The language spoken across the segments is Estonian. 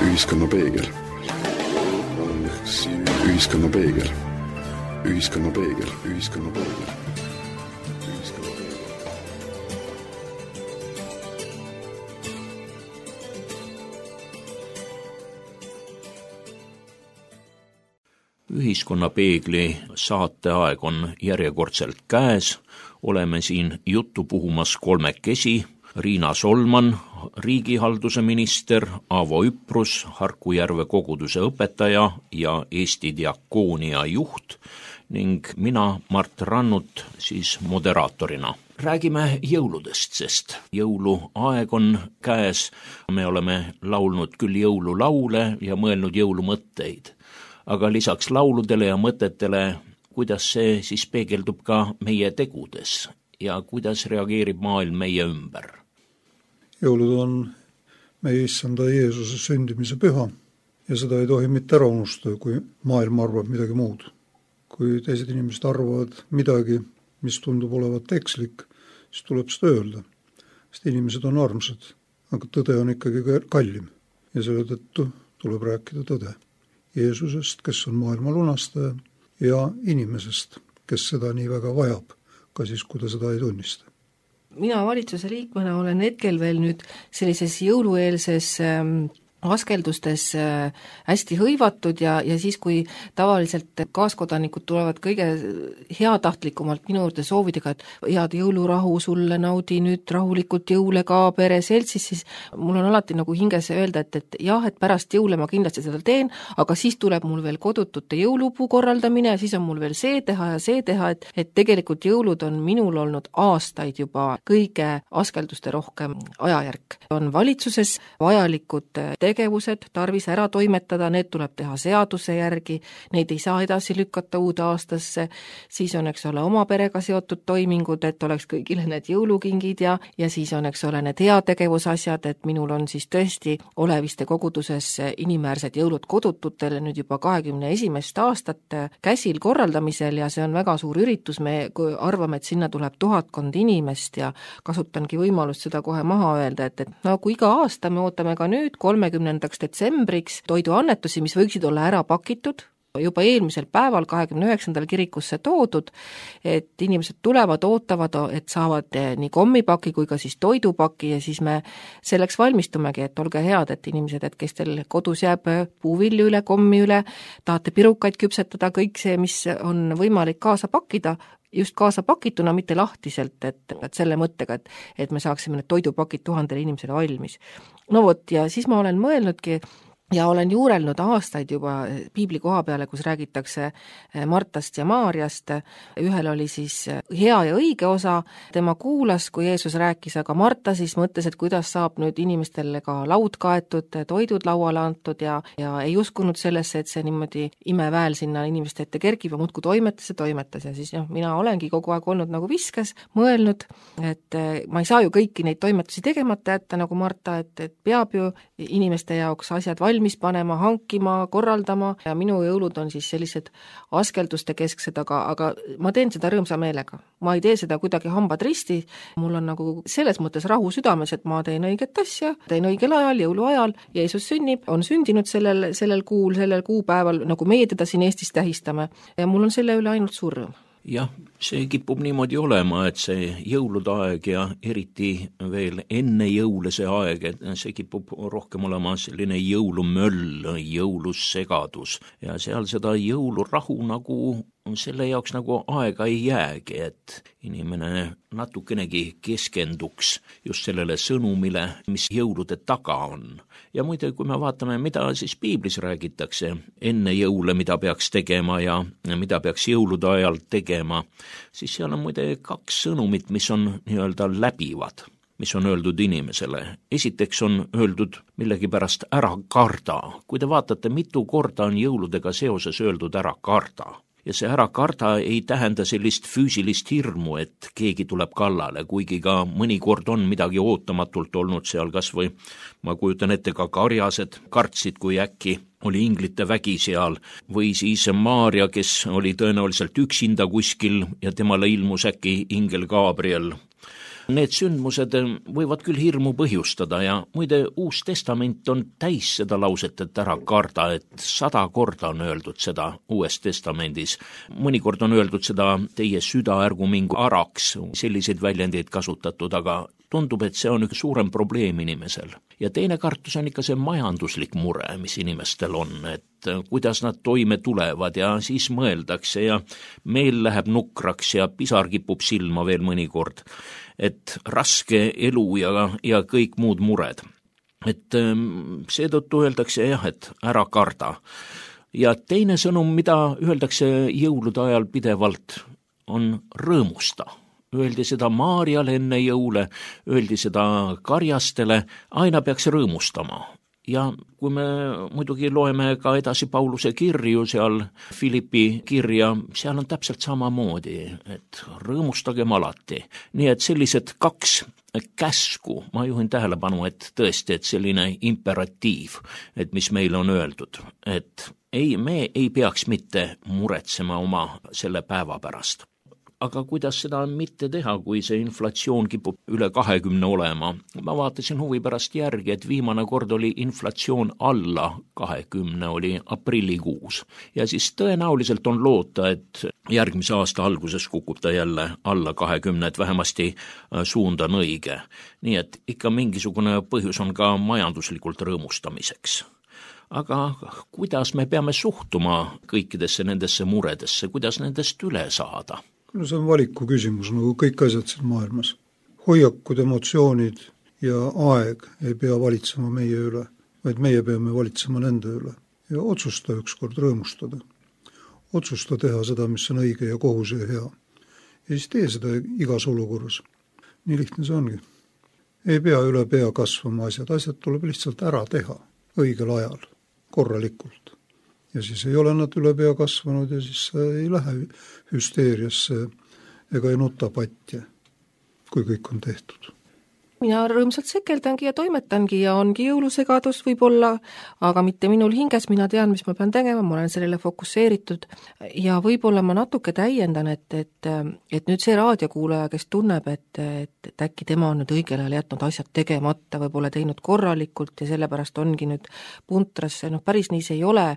Ühiskonnapeegel. Ühiskonnapeegel. Ühiskonnapeegel. Ühiskonnapeegel. Ühiskonnapeegli saateaeg on järjekordselt käes. Oleme siin juttu puhumas kolmekesi. Riina Solman, riigihalduse minister, Avo Üprus, Harku Järve koguduse õpetaja ja Eesti diakoonia juht ning mina, Mart Rannut, siis moderaatorina. Räägime jõuludest, sest jõuluaeg on käes. Me oleme laulnud küll jõululaule ja mõelnud jõulumõtteid. Aga lisaks lauludele ja mõtetele, kuidas see siis peegeldub ka meie tegudes ja kuidas reageerib maailm meie ümber? Jõulud on meie issanda Jeesuse sündimise püha ja seda ei tohi mitte ära unustada, kui maailm arvab midagi muud. Kui teised inimesed arvavad midagi, mis tundub olevat ekslik, siis tuleb seda öelda. Sest inimesed on armsad, aga tõde on ikkagi kallim ja selle tõttu tuleb rääkida tõde. Jeesusest, kes on maailma lunastaja, ja inimesest, kes seda nii väga vajab, ka siis, kui ta seda ei tunnista. Mina valitsuse liikmena olen hetkel veel nüüd sellises jõulueelses askeldustes hästi hõivatud ja siis, kui tavaliselt kaaskodanikud tulevad kõige heatahtlikumalt minu juurde soovidega, et head jõulurahu sulle, naudi nüüd rahulikult jõule ka pere seltsis, siis mul on alati nagu hinges öelda, et jah, et pärast jõule ma kindlasti seda teen, aga siis tuleb mul veel kodutute jõulupuu korraldamine ja siis on mul veel see teha, et tegelikult jõulud on minul olnud aastaid juba kõige askelduste rohkem ajajärk. On valitsuses vajalikud tegevused tarvis ära toimetada, need tuleb teha seaduse järgi, neid ei saa edasi lükata uude aastasse, siis on, eks ole, oma perega seotud toimingud, et oleks kõigile need jõulukingid ja siis on, eks ole, need heategevusasjad, et minul on siis tõesti Oleviste koguduses inimäärsed jõulud kodututele nüüd juba 21. aastat käsil korraldamisel ja see on väga suur üritus, me arvame, et sinna tuleb 1000 inimest ja kasutangi võimalust seda kohe maha öelda, et nagu iga aasta me ootame ka nüüd 30. detsembriks toiduannetusi, mis võiksid olla ära pakitud, juba eelmisel päeval 29. kirikusse toodud, et inimesed tulevad, ootavad, et saavad nii kommipaki kui ka siis toidupaki ja siis me selleks valmistumegi, et olge head, et inimesed, et kes teil kodus jääb puuvilju üle, kommi üle, tahate pirukaid küpsetada, kõik see, mis on võimalik kaasa pakkida, just kaasa pakituna, mitte lahtiselt, et selle mõttega, et me saaksime need toidupakid 1000 inimesele valmis. No vot, ja siis ma olen mõelnudki ja olen juurelnud aastaid juba piibli koha peale, kus räägitakse Martast ja Maarjast. Ühel oli siis hea ja õige osa, tema kuulas, kui Jeesus rääkis, aga Marta siis mõtles, et kuidas saab nüüd inimestele ka laud kaetud, toidud lauale antud ja ei uskunud sellesse, et see niimoodi imeväel sinna inimeste ette kergib ja muudkui toimetas ja siis mina olengi kogu aeg olnud nagu viskes, mõelnud, et ma ei saa ju kõiki neid toimetusi tegemata jätta nagu Marta, et peab ju inimeste jaoks asjad valmis panema, hankima, korraldama ja minu jõulud on siis sellised askelduste kesksed, aga ma teen seda rõõmsa meelega. Ma ei tee seda kuidagi hambad risti, mul on nagu selles mõttes rahu südames, et ma teen õiget asja, teen õigel ajal, jõuluajal, Jeesus sünnib, on sündinud sellel kuupäeval, nagu meie teda siin Eestis tähistame ja mul on selle üle ainult suur rõõm. Jah, see kipub niimoodi olema, et see jõulude aeg ja eriti veel enne jõule see aeg, et see kipub rohkem olema selline jõulumöll, jõulussegadus ja seal seda jõulurahu nagu selle jaoks nagu aega ei jäägi, et inimene natukenegi keskenduks just sellele sõnumile, mis jõulude taga on. Ja muide, kui me vaatame, mida siis piiblis räägitakse enne jõule, mida peaks tegema ja mida peaks jõulude ajal tegema, siis seal on muide 2 sõnumit, mis on nii-öelda läbivad, mis on öeldud inimesele. Esiteks on öeldud millegipärast ära karda. Kui te vaatate, mitu korda on jõuludega seoses öeldud ära karda. Ja see ära karda ei tähenda sellist füüsilist hirmu, et keegi tuleb kallale, kuigi ka mõnikord on midagi ootamatult olnud seal kas või, ma kujutan ette, ka karjased kartsid, kui äkki oli inglite vägi seal, või siis Maarja, kes oli tõenäoliselt üksinda kuskil ja temale ilmus äkki ingel Gabriel. Need sündmused võivad küll hirmu põhjustada ja muide Uus Testament on täis seda lauset, et ära karda, et 100 korda on öeldud seda Uues Testamendis. Mõnikord on öeldud seda teie süda ärgu mingu araks, selliseid väljendeid kasutatud, aga tundub, et see on üks suurem probleem inimesel. Ja teine kartus on ikka see majanduslik mure, mis inimestel on, et kuidas nad toime tulevad ja siis mõeldakse ja meel läheb nukraks ja pisar kipub silma veel mõnikord, et raske elu ja kõik muud mured. Et seetõttu öeldakse jah, et ära karda. Ja teine sõnum, mida öeldakse jõulude ajal pidevalt, on rõõmusta. Öeldi seda Maarjale enne jõule, öeldi seda karjastele, aina peaks rõõmustama. Ja kui me muidugi loeme ka edasi Pauluse kirju seal, Philippi kirja, seal on täpselt samamoodi, et rõõmustagem alati. Nii et sellised 2 käsku, ma juhin tähelepanu, et tõesti, et selline imperatiiv, et mis meile on öeldud, et me ei peaks mitte muretsema oma selle päeva pärast. Aga kuidas seda mitte teha, kui see inflatsioon kipub üle 20 olema? Ma vaatasin huvi pärast järgi, et viimane kord oli inflatsioon alla 20, oli aprillikuus. Ja siis tõenäoliselt on loota, et järgmise aasta alguses kukub ta jälle alla 20, et vähemasti suund on õige. Nii et ikka mingisugune põhjus on ka majanduslikult rõõmustamiseks. Aga kuidas me peame suhtuma kõikidesse nendesse muredesse, kuidas nendest üle saada? No see on valiku küsimus, nagu kõik asjad siin maailmas. Hoiakud, emotsioonid ja aeg ei pea valitsema meie üle, vaid meie peame valitsema nende üle. Ja otsusta ükskord rõõmustada. Otsusta teha seda, mis on õige ja kohus ja hea. Ja siis tee seda igas olukorras. Nii lihtne see ongi. Ei pea üle pea kasvama asjad tuleb lihtsalt ära teha õigel ajal, korralikult. Ja siis ei ole nad üle pea kasvanud ja siis ei lähe hüsteeriasse ega ei nuta patja, kui kõik on tehtud. Mina rõõmsalt sekeldangi ja toimetangi ja ongi jõulusegadus võib-olla, aga mitte minul hinges, mina tean, mis ma pean tegema, ma olen sellele fokusseeritud ja võib-olla ma natuke täiendan, et nüüd see raadiokuulaja, kes tunneb, et äkki tema on nüüd õigel ajal jätnud asjad tegemata, võib-olla teinud korralikult ja sellepärast ongi nüüd puntrasse, päris nii see ei ole,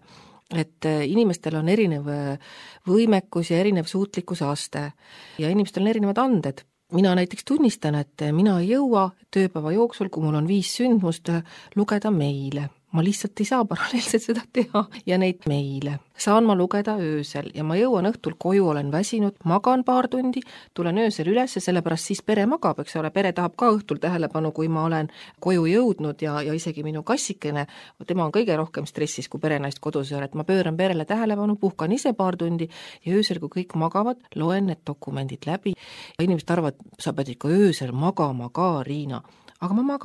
et inimestel on erinev võimekus ja erinev suutlikkuse aste ja inimestel on erinevad anded. Mina näiteks tunnistan, et mina ei jõua tööpäeva jooksul, kui mul on 5 sündmust, lugeda meile. Ma lihtsalt ei saa paralleelselt seda teha ja neid meile. Saan ma lugeda öösel ja ma jõuan õhtul koju, olen väsinud, magan paar tundi, tulen öösel üles ja sellepärast siis pere magab, eks ole, pere tahab ka õhtul tähelepanu, kui ma olen koju jõudnud ja isegi minu kassikene, tema on kõige rohkem stressis, kui perenaist kodus ei ole, et ma pööran perele tähelepanu, puhkan ise paar tundi ja öösel, kui kõik magavad, loen need dokumendid läbi ja inimesed arvavad, sa pead ikka öösel magama ka, Riina. Aga ma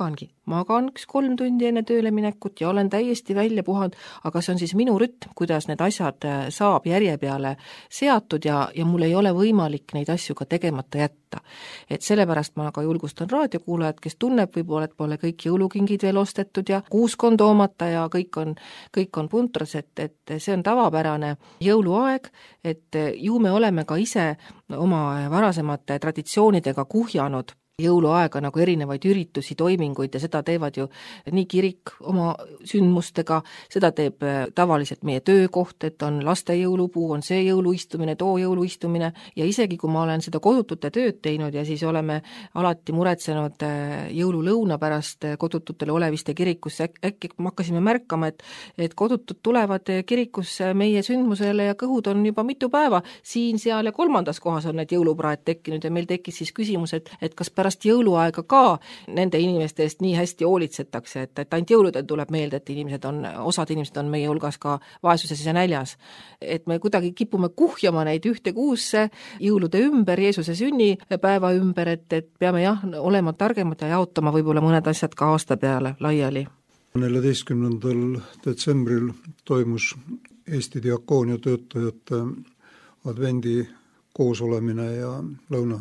magan 3 tundi enne tööle minekut ja olen täiesti välja puhanud, aga see on siis minu rütm, kuidas need asjad saab järje peale seatud ja mul ei ole võimalik neid asju ka tegemata jätta. Et sellepärast ma ka julgustan raadiokuulajad, kes tunneb võib-olla, et pole kõik jõulukingid veel ostetud ja kuuskond toomata ja kõik on puntras, et see on tavapärane jõuluaeg, et ju me oleme ka ise oma varasemate traditsioonidega kuhjanud jõuluaega nagu erinevaid üritusi, toiminguid ja seda teevad ju nii kirik oma sündmustega, seda teeb tavaliselt meie töökoht, et on laste jõulupuu, on see jõuluistumine, too jõuluistumine ja isegi kui ma olen seda kodutute tööd teinud ja siis oleme alati muretsenud jõululõuna pärast kodututele Oleviste kirikusse, äkki hakkasime märkama, et kodutud tulevad kirikusse meie sündmusele ja kõhud on juba mitu päeva, siin, seal ja 3. kohas on need jõulupraed tekkinud ja meil tekkis siis küsimus, et kas pärast jõuluaega ka nende inimeste eest nii hästi hoolitsetakse, et ainult jõuludel tuleb meelde, et osad inimesed on meie hulgas ka vaesuses ja näljas. Et me kuidagi kipume kuhjama neid ühte kuusse jõulude ümber, Jeesuse sünnipäeva ümber, et peame olema targemad ja jaotama võib-olla mõned asjad ka aasta peale laiali. 14. detsembril toimus Eesti diakoonia töötajate advendi koosolemine ja lõuna.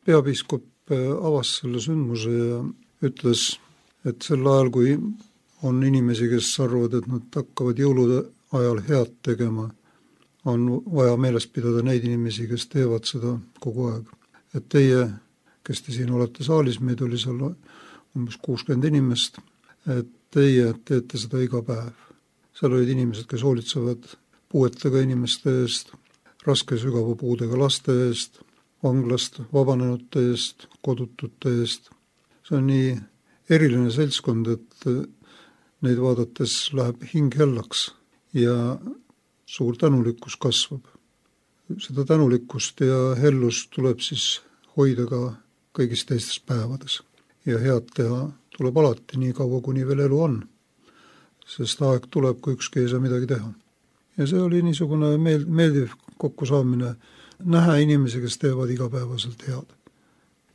Peapiiskop avas selle sündmuse ja ütles, et sel ajal, kui on inimesi, kes arvavad, et nad hakkavad jõulude ajal head tegema, on vaja meeles pidada neid inimesi, kes teevad seda kogu aeg. Et teie, kes te siin olete saalis, meid oli seal umbes 60 inimest, et teie teete seda iga päev. Seal olid inimesed, kes hoolitsevad puuetega inimeste eest, raske sügava puudega laste eest, vanglast vabanenute eest, kodutute eest. See on nii eriline seltskond, et neid vaadates läheb hing hellaks ja suur tänulikkus kasvab. Seda tänulikkust ja hellust tuleb siis hoida ka kõigis teistes päevades. Ja head teha tuleb alati nii kaua, kuni veel elu on. Sest aeg tuleb, kui ükski ei saa midagi teha. Ja see oli niisugune meeldiv kokkusaamine, näha inimesi, kes teevad igapäevaselt head.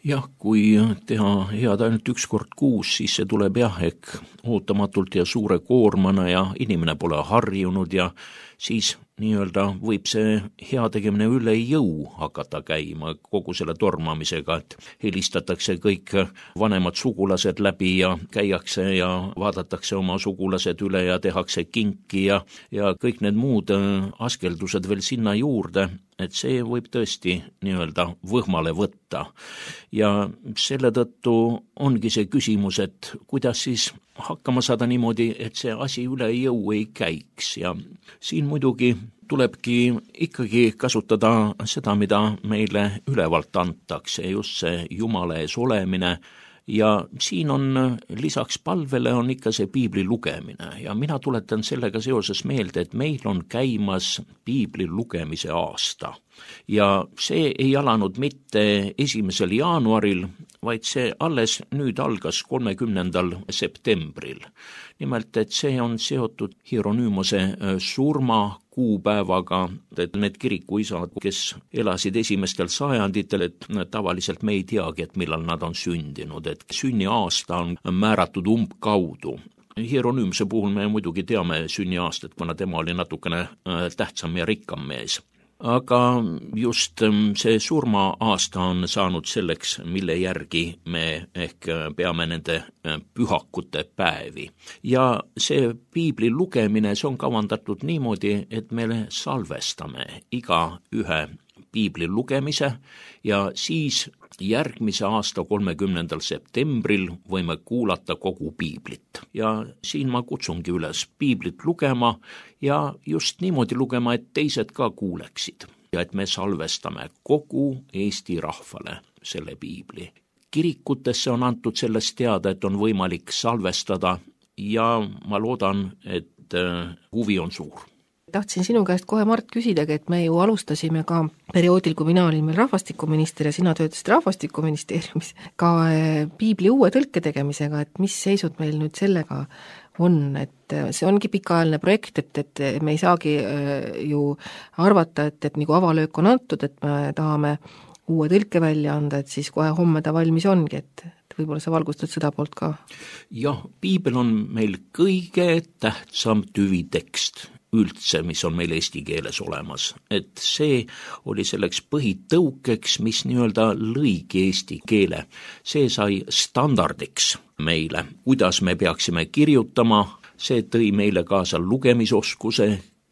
Jah, kui teha head ainult üks kord kuus, siis see tuleb ehk ootamatult ja suure koormana ja inimene pole harjunud ja siis nii-öelda võib see hea tegemine üle jõu hakata käima kogu selle tormamisega, et helistatakse kõik vanemad sugulased läbi ja käiakse ja vaadatakse oma sugulased üle ja tehakse kinki ja kõik need muud askeldused veel sinna juurde, et see võib tõesti nii-öelda võhmale võtta. Ja selle tõttu ongi see küsimus, et kuidas siis hakkama saada niimoodi, et see asi üle jõu ei käiks ja siin muidugi tulebki ikkagi kasutada seda, mida meile ülevalt antakse, just see Jumala ees olemine ja siin on lisaks palvele on ikka see piibli lugemine ja mina tuletan sellega seoses meelde, et meil on käimas piibli lugemise aasta ja see ei alanud mitte 1. jaanuaril, vaid see alles nüüd algas 30. septembril. Nimelt, et see on seotud Hieronymose surma kuupäevaga, et need kirikuisad, kes elasid esimestel sajanditel, et tavaliselt me ei teagi, et millal nad on sündinud, et sünniaasta on määratud umbkaudu. Hieronymse puhul me muidugi teame sünniaastat, kuna tema oli natukene tähtsam ja rikkam mees. Aga just see surma-aasta on saanud selleks, mille järgi me ehk peame nende pühakute päevi. Ja see piibli lugemine, see on kavandatud niimoodi, et me salvestame iga ühe piibli lugemise ja siis järgmise aasta 30. septembril võime kuulata kogu piiblit. Ja siin ma kutsungi üles piiblit lugema ja just niimoodi lugema, et teised ka kuuleksid. Ja et me salvestame kogu Eesti rahvale selle piibli. Kirikutesse on antud sellest teada, et on võimalik salvestada ja ma loodan, et huvi on suur. Tahtsin sinu käest kohe, Mart, küsidagi, et me ju alustasime ka perioodil, kui mina olin meil rahvastikuminister ja sina töötasid rahvastikuministeeriumis, ka piibli uue tõlke tegemisega, et mis seisud meil nüüd sellega on, et see ongi pikaajaline projekt, et me ei saagi ju arvata, et nagu avalöök on antud, et me tahame uue tõlke välja anda, et siis kohe homme ta valmis ongi, et võib-olla sa valgustad seda poolt ka? Jah, piibel on meil kõige tähtsam tüvitekst üldse, mis on meil eesti keeles olemas. Et see oli selleks põhitõukeks, mis nii-öelda lõigi eesti keele. See sai standardiks meile, kuidas me peaksime kirjutama, see tõi meile kaasa lugemisoskuse,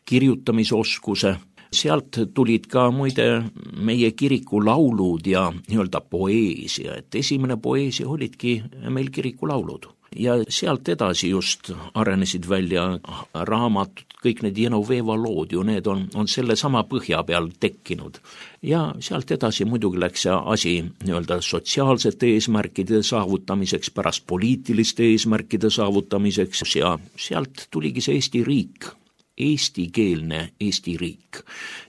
kirjutamisoskuse. Sealt tulid ka muide meie kiriku laulud ja nii-öelda poeesia, et esimene poeesia olidki meil kiriku laulud. Ja sealt edasi just arenesid välja raamatud, kõik need Genoveva lood ju, need on selle sama põhja peal tekkinud. Ja sealt edasi muidugi läks see asi nii-öelda sotsiaalsete eesmärkide saavutamiseks, pärast poliitiliste eesmärkide saavutamiseks ja sealt tuligi see Eesti riik. eestikeelne Eesti riik.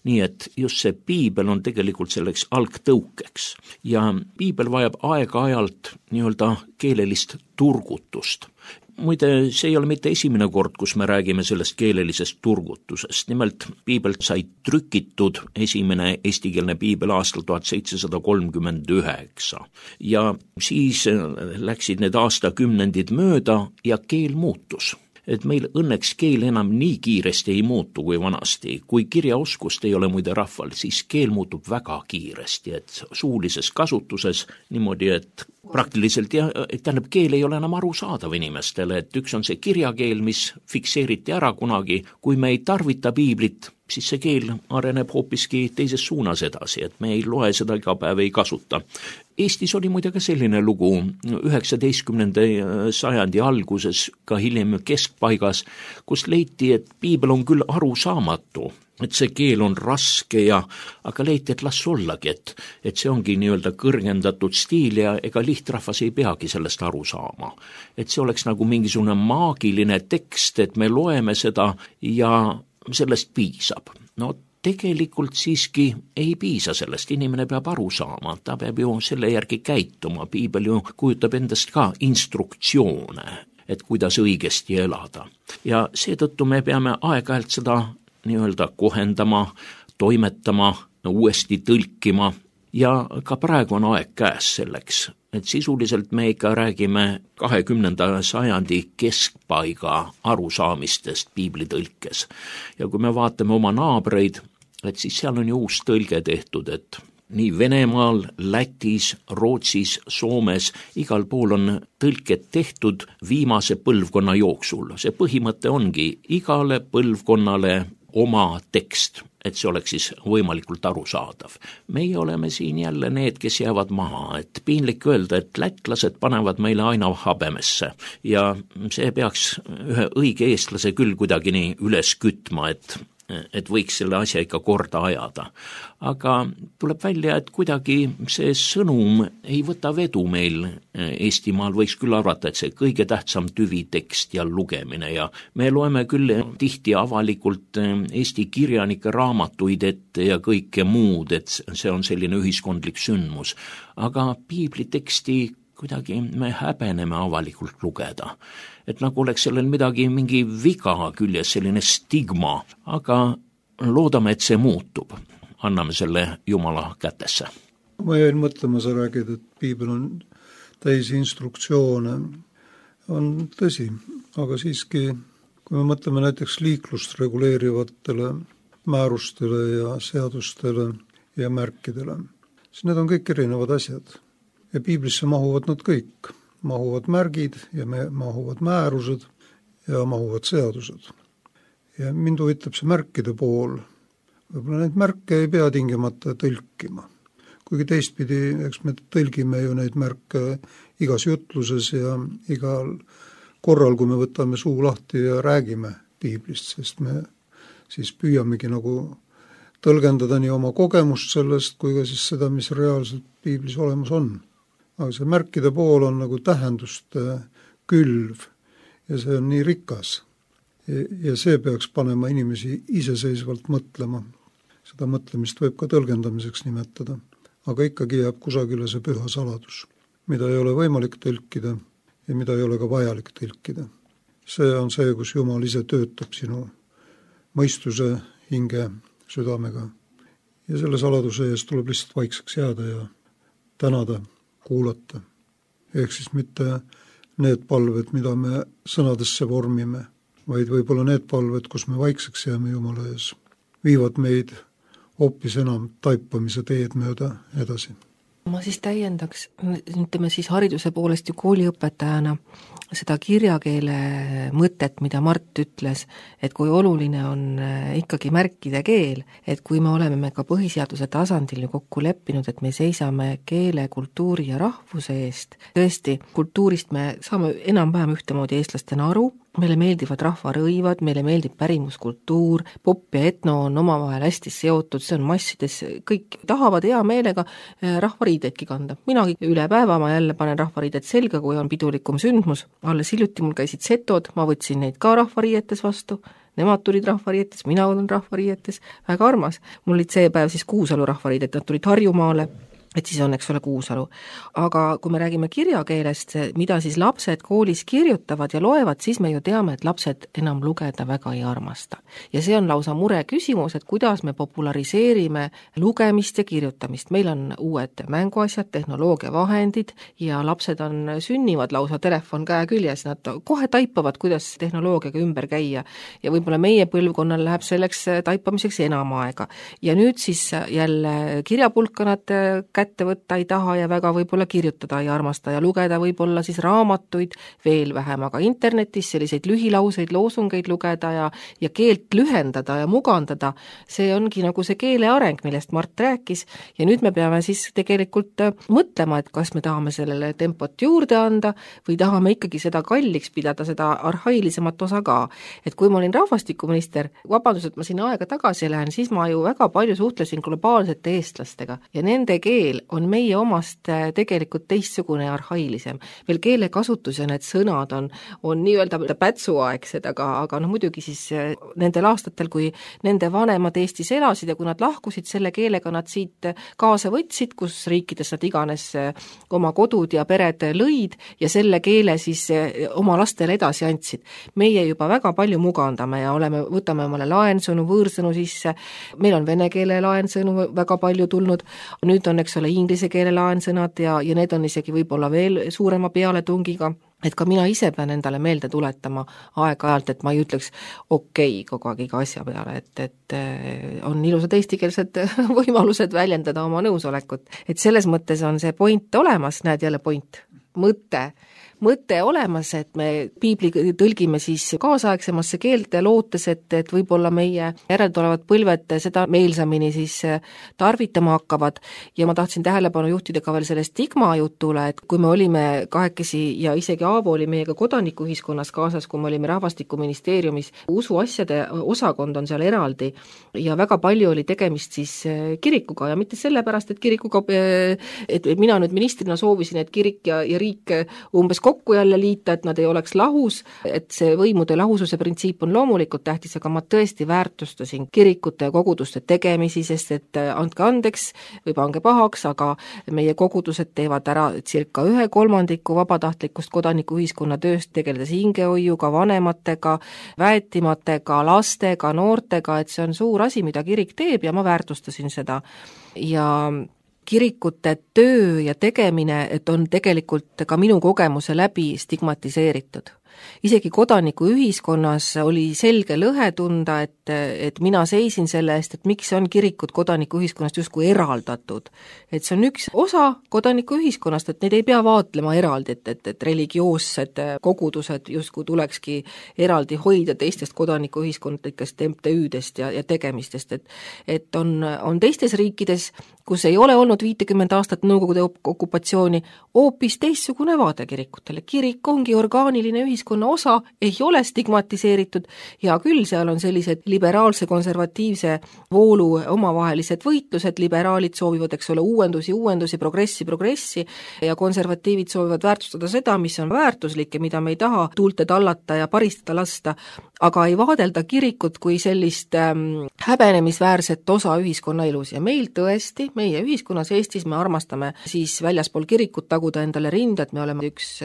Nii et just see piibel on tegelikult selleks algtõukeks ja piibel vajab aeg-ajalt nii-öelda keelelist turgutust. Muide, see ei ole mitte esimene kord, kus me räägime sellest keelelisest turgutusest. Nimelt, piibel sai trükitud esimene eestikeelne piibel aastal 1739 ja siis läksid need aastakümnendid mööda ja keel muutus. Et meil õnneks keel enam nii kiiresti ei muutu kui vanasti. Kui kirjaoskust ei ole muide rahval, siis keel muutub väga kiiresti, et suulises kasutuses niimoodi, et praktiliselt tähendab, keel ei ole enam arusaadav inimestele, et üks on see kirjakeel, mis fikseeriti ära kunagi, kui me ei tarvita piiblit, siis see keel areneb hoopiski teises suunas edasi, et me ei loe seda iga päev, ei kasuta. Eestis oli muide ka selline lugu 19. sajandi alguses, ka hiljem keskpaigas, kus leiti, et piibel on küll arusaamatu, et see keel on raske aga leiti, et las ollagi, et see ongi nii-öelda kõrgendatud stiil ja ega lihtrahvas ei peagi sellest aru saama. Et see oleks nagu mingisugune maagiline tekst, et me loeme seda ja sellest piisab. No tegelikult siiski ei piisa sellest, inimene peab aru saama, ta peab ju selle järgi käituma, piibel ju kujutab endast ka instruktsioone, et kuidas õigesti elada. Ja seetõttu me peame aeg-ajalt seda nii-öelda kohendama, toimetama, uuesti tõlkima ja ka praegu on aeg käes selleks, et sisuliselt me ikka räägime 20. sajandi keskpaiga arusaamistest piiblitõlkes. Ja kui me vaatame oma naabreid, et siis seal on ju uus tõlge tehtud, et nii Venemaal, Lätis, Rootsis, Soomes, igal pool on tõlked tehtud viimase põlvkonna jooksul. See põhimõte ongi igale põlvkonnale oma tekst, et see oleks siis võimalikult arusaadav. Meie oleme siin jälle need, kes jäävad maha, et piinlik öelda, et lätlased panevad meile aina habemesse ja see peaks ühe õige eestlase küll kuidagi nii üles kütma, et võiks selle asja ikka korda ajada. Aga tuleb välja, et kuidagi see sõnum ei võta vedu meil Eestimaal, võiks küll arvata, et see kõige tähtsam tüvitekst ja lugemine ja me loeme küll tihti avalikult Eesti kirjanike raamatuid ette ja kõike muud, et see on selline ühiskondlik sündmus. Aga piibliteksti kuidagi me häbeneme avalikult lugeda. Et nagu oleks sellel mingi viga küljes, selline stigma, aga loodame, et see muutub. Anname selle Jumala kätesse. Ma jäin mõtlema, sa räägid, et piibel on täis instruktsioone. On tõsi, aga siiski, kui me mõtleme näiteks liiklust reguleerivatele määrustele ja seadustele ja märkidele, siis need on kõik erinevad asjad. Ja piiblisse mahuvad nad kõik. Mahuvad märgid ja mahuvad määrused ja mahuvad seadused. Ja mind huvitab see märkide pool. Võib-olla neid märke ei pea tingimata tõlkima. Kuigi teistpidi, eks me tõlgime ju neid märke igas jutluses ja igal korral, kui me võtame suu lahti ja räägime piiblist, sest me siis püüamegi nagu tõlgendada nii oma kogemust sellest, kui ka siis seda, mis reaalselt piiblis olemas on. Aga see märkide pool on nagu tähenduste külv ja see on nii rikas. Ja see peaks panema inimesi iseseisvalt mõtlema. Seda mõtlemist võib ka tõlgendamiseks nimetada. Aga ikkagi jääb kusagile see püha saladus, mida ei ole võimalik tõlkida ja mida ei ole ka vajalik tõlkida. See on see, kus Jumal ise töötab sinu mõistuse, hinge, südamega. Ja selle saladuse eest tuleb lihtsalt vaikseks jääda ja tänada, kuulata. Ehk siis mitte need palved, mida me sõnadesse vormime, vaid võib-olla need palved, kus me vaikseks jääme Jumala ees, viivad meid hoopis enam taipamise teed mööda edasi. Ma siis täiendaks, ütleme siis hariduse poolest ju kooliõpetajana seda kirjakeele mõtet, mida Mart ütles, et kui oluline on ikkagi märkide keel, et kui me oleme ka põhiseaduse tasandil ju kokku leppinud, et me seisame keele, kultuuri ja rahvuse eest, tõesti, kultuurist me saame enam-vähem ühtemoodi eestlastena aru, meile meeldivad rahvarõivad, meile meeldib pärimuskultuur, pop ja etno on omavahel hästi seotud, see on massides, kõik tahavad hea meelega rahvariideidki kanda. Minagi üle päeva ma jälle panen rahvariided selga, kui on pidulikum sündmus. Alles hiljuti mul käisid setod, ma võtsin neid ka rahvariietes vastu, nemad tulid rahvariietes, mina olen rahvariietes, väga armas. Mul olid see päev siis Kuusalu rahvariided, nad tulid Harjumaale, et siis on, eks ole, Kuusalu. Aga kui me räägime kirjakeelest, mida siis lapsed koolis kirjutavad ja loevad, siis me ju teame, et lapsed enam lugeda väga ei armasta. Ja see on lausa mure küsimus, et kuidas me populariseerime lugemist ja kirjutamist. Meil on uued mänguasjad, tehnoloogiavahendid ja lapsed sünnivad lausa telefon käe küljes, nad kohe taipavad, kuidas tehnoloogiaga ümber käia ja võib-olla meie põlvkonnal läheb selleks taipamiseks enam aega. Ja nüüd siis jälle kirjapulka nad kätte võtta ei taha ja väga võib-olla kirjutada ei armasta ja lugeda võib-olla siis raamatuid veel vähem, aga internetis selliseid lühilauseid, loosungeid lugeda ja keelt lühendada ja mugandada, see ongi nagu see keele areng, millest Mart rääkis ja nüüd me peame siis tegelikult mõtlema, et kas me tahame sellele tempot juurde anda või tahame ikkagi seda kalliks pidada, seda arhailisemat osa ka. Et kui ma olin rahvastikuminister, vabandus, et ma siin aega tagasi lähen, siis ma ju väga palju suhtlesin globaalsete eestlastega ja nende keel on meie omast tegelikult teistsugune ja arhailisem. Veel keelekasutus ja need sõnad on nii-öelda pätsuaegsed, aga muidugi siis nendel aastatel, kui nende vanemad Eestis elasid ja kui nad lahkusid, selle keelega nad siit kaasa võtsid, kus riikides nad iganes oma kodud ja pered lõid ja selle keele siis oma lastele edasi andsid. Meie juba väga palju mugandame ja võtame omale laensõnu, võõrsõnu sisse, meil on vene keele laensõnu väga palju tulnud, nüüd on, eks ole, inglise keele laensõnad ja need on isegi võib-olla veel suurema pealetungiga, et ka mina ise pean endale meelde tuletama aeg-ajalt, et ma ei ütleks okei kogu aeg iga asja peale, et on ilusad eestikeelsed võimalused väljendada oma nõusolekut. Et selles mõttes on see point olemas, näed jälle point, mõte olemas, et me piibli tõlgime siis kaasaegsemasse keelte lootes, et võib-olla meie järeltulevad põlved seda meelsamini siis tarvitama hakkavad ja ma tahtsin tähelepanu juhtida ka veel selle stigma jutule, et kui me olime kahekesi ja isegi Aavo oli meiega kodanikuühiskonnas kaasas, kui me olime rahvastikuministeeriumis, usuasjade osakond on seal eraldi ja väga palju oli tegemist siis kirikuga ja mitte sellepärast, et kirikuga, et mina nüüd ministrina soovisin, et kirik ja riik umbes kokku jälle liita, et nad ei oleks lahus, et see võimude lahususe printsiip on loomulikult tähtis, aga ma tõesti väärtustasin kirikute ja koguduste tegemisi, sest et andke andeks või pange pahaks, aga meie kogudused teevad ära circa 1/3 vabatahtlikust kodanikuühiskonna tööst, tegeledes hingehoiuga, vanematega, väetimatega, lastega, noortega, et see on suur asi, mida kirik teeb ja ma väärtustasin seda ja kirikute töö ja tegemine, et on tegelikult ka minu kogemuse läbi stigmatiseeritud. Isegi kodanikuühiskonnas oli selge lõhe tunda, et mina seisin selle eest, et miks on kirikud kodanikuühiskonnast justkui eraldatud. Et see on üks osa kodanikuühiskonnast, et neid ei pea vaatlema eraldi, et religioossed kogudused justkui tulekski eraldi hoida teistest kodanikuühiskondlikest MTÜ-dest ja tegemistest, et on teistes riikides, kus ei ole olnud 50 aastat Nõukogude okupatsiooni, hoopis teistsugune vaade kirikutele. Kirik ongi orgaaniline ühiskonna osa, ei ole stigmatiseeritud ja küll seal on sellised liberaalse konservatiivse voolu omavahelised võitlused, liberaalid soovivad, eks ole, uuendusi, progressi ja konservatiivid soovivad väärtustada seda, mis on väärtuslik ja mida me ei taha tuulte tallata ja paristada lasta, aga ei vaadelda kirikut kui sellist häbenemisväärset osa ühiskonna elus ja meil tõesti, meie ühiskonnas Eestis me armastame siis väljaspool kirikut taguda endale rinda, et me oleme üks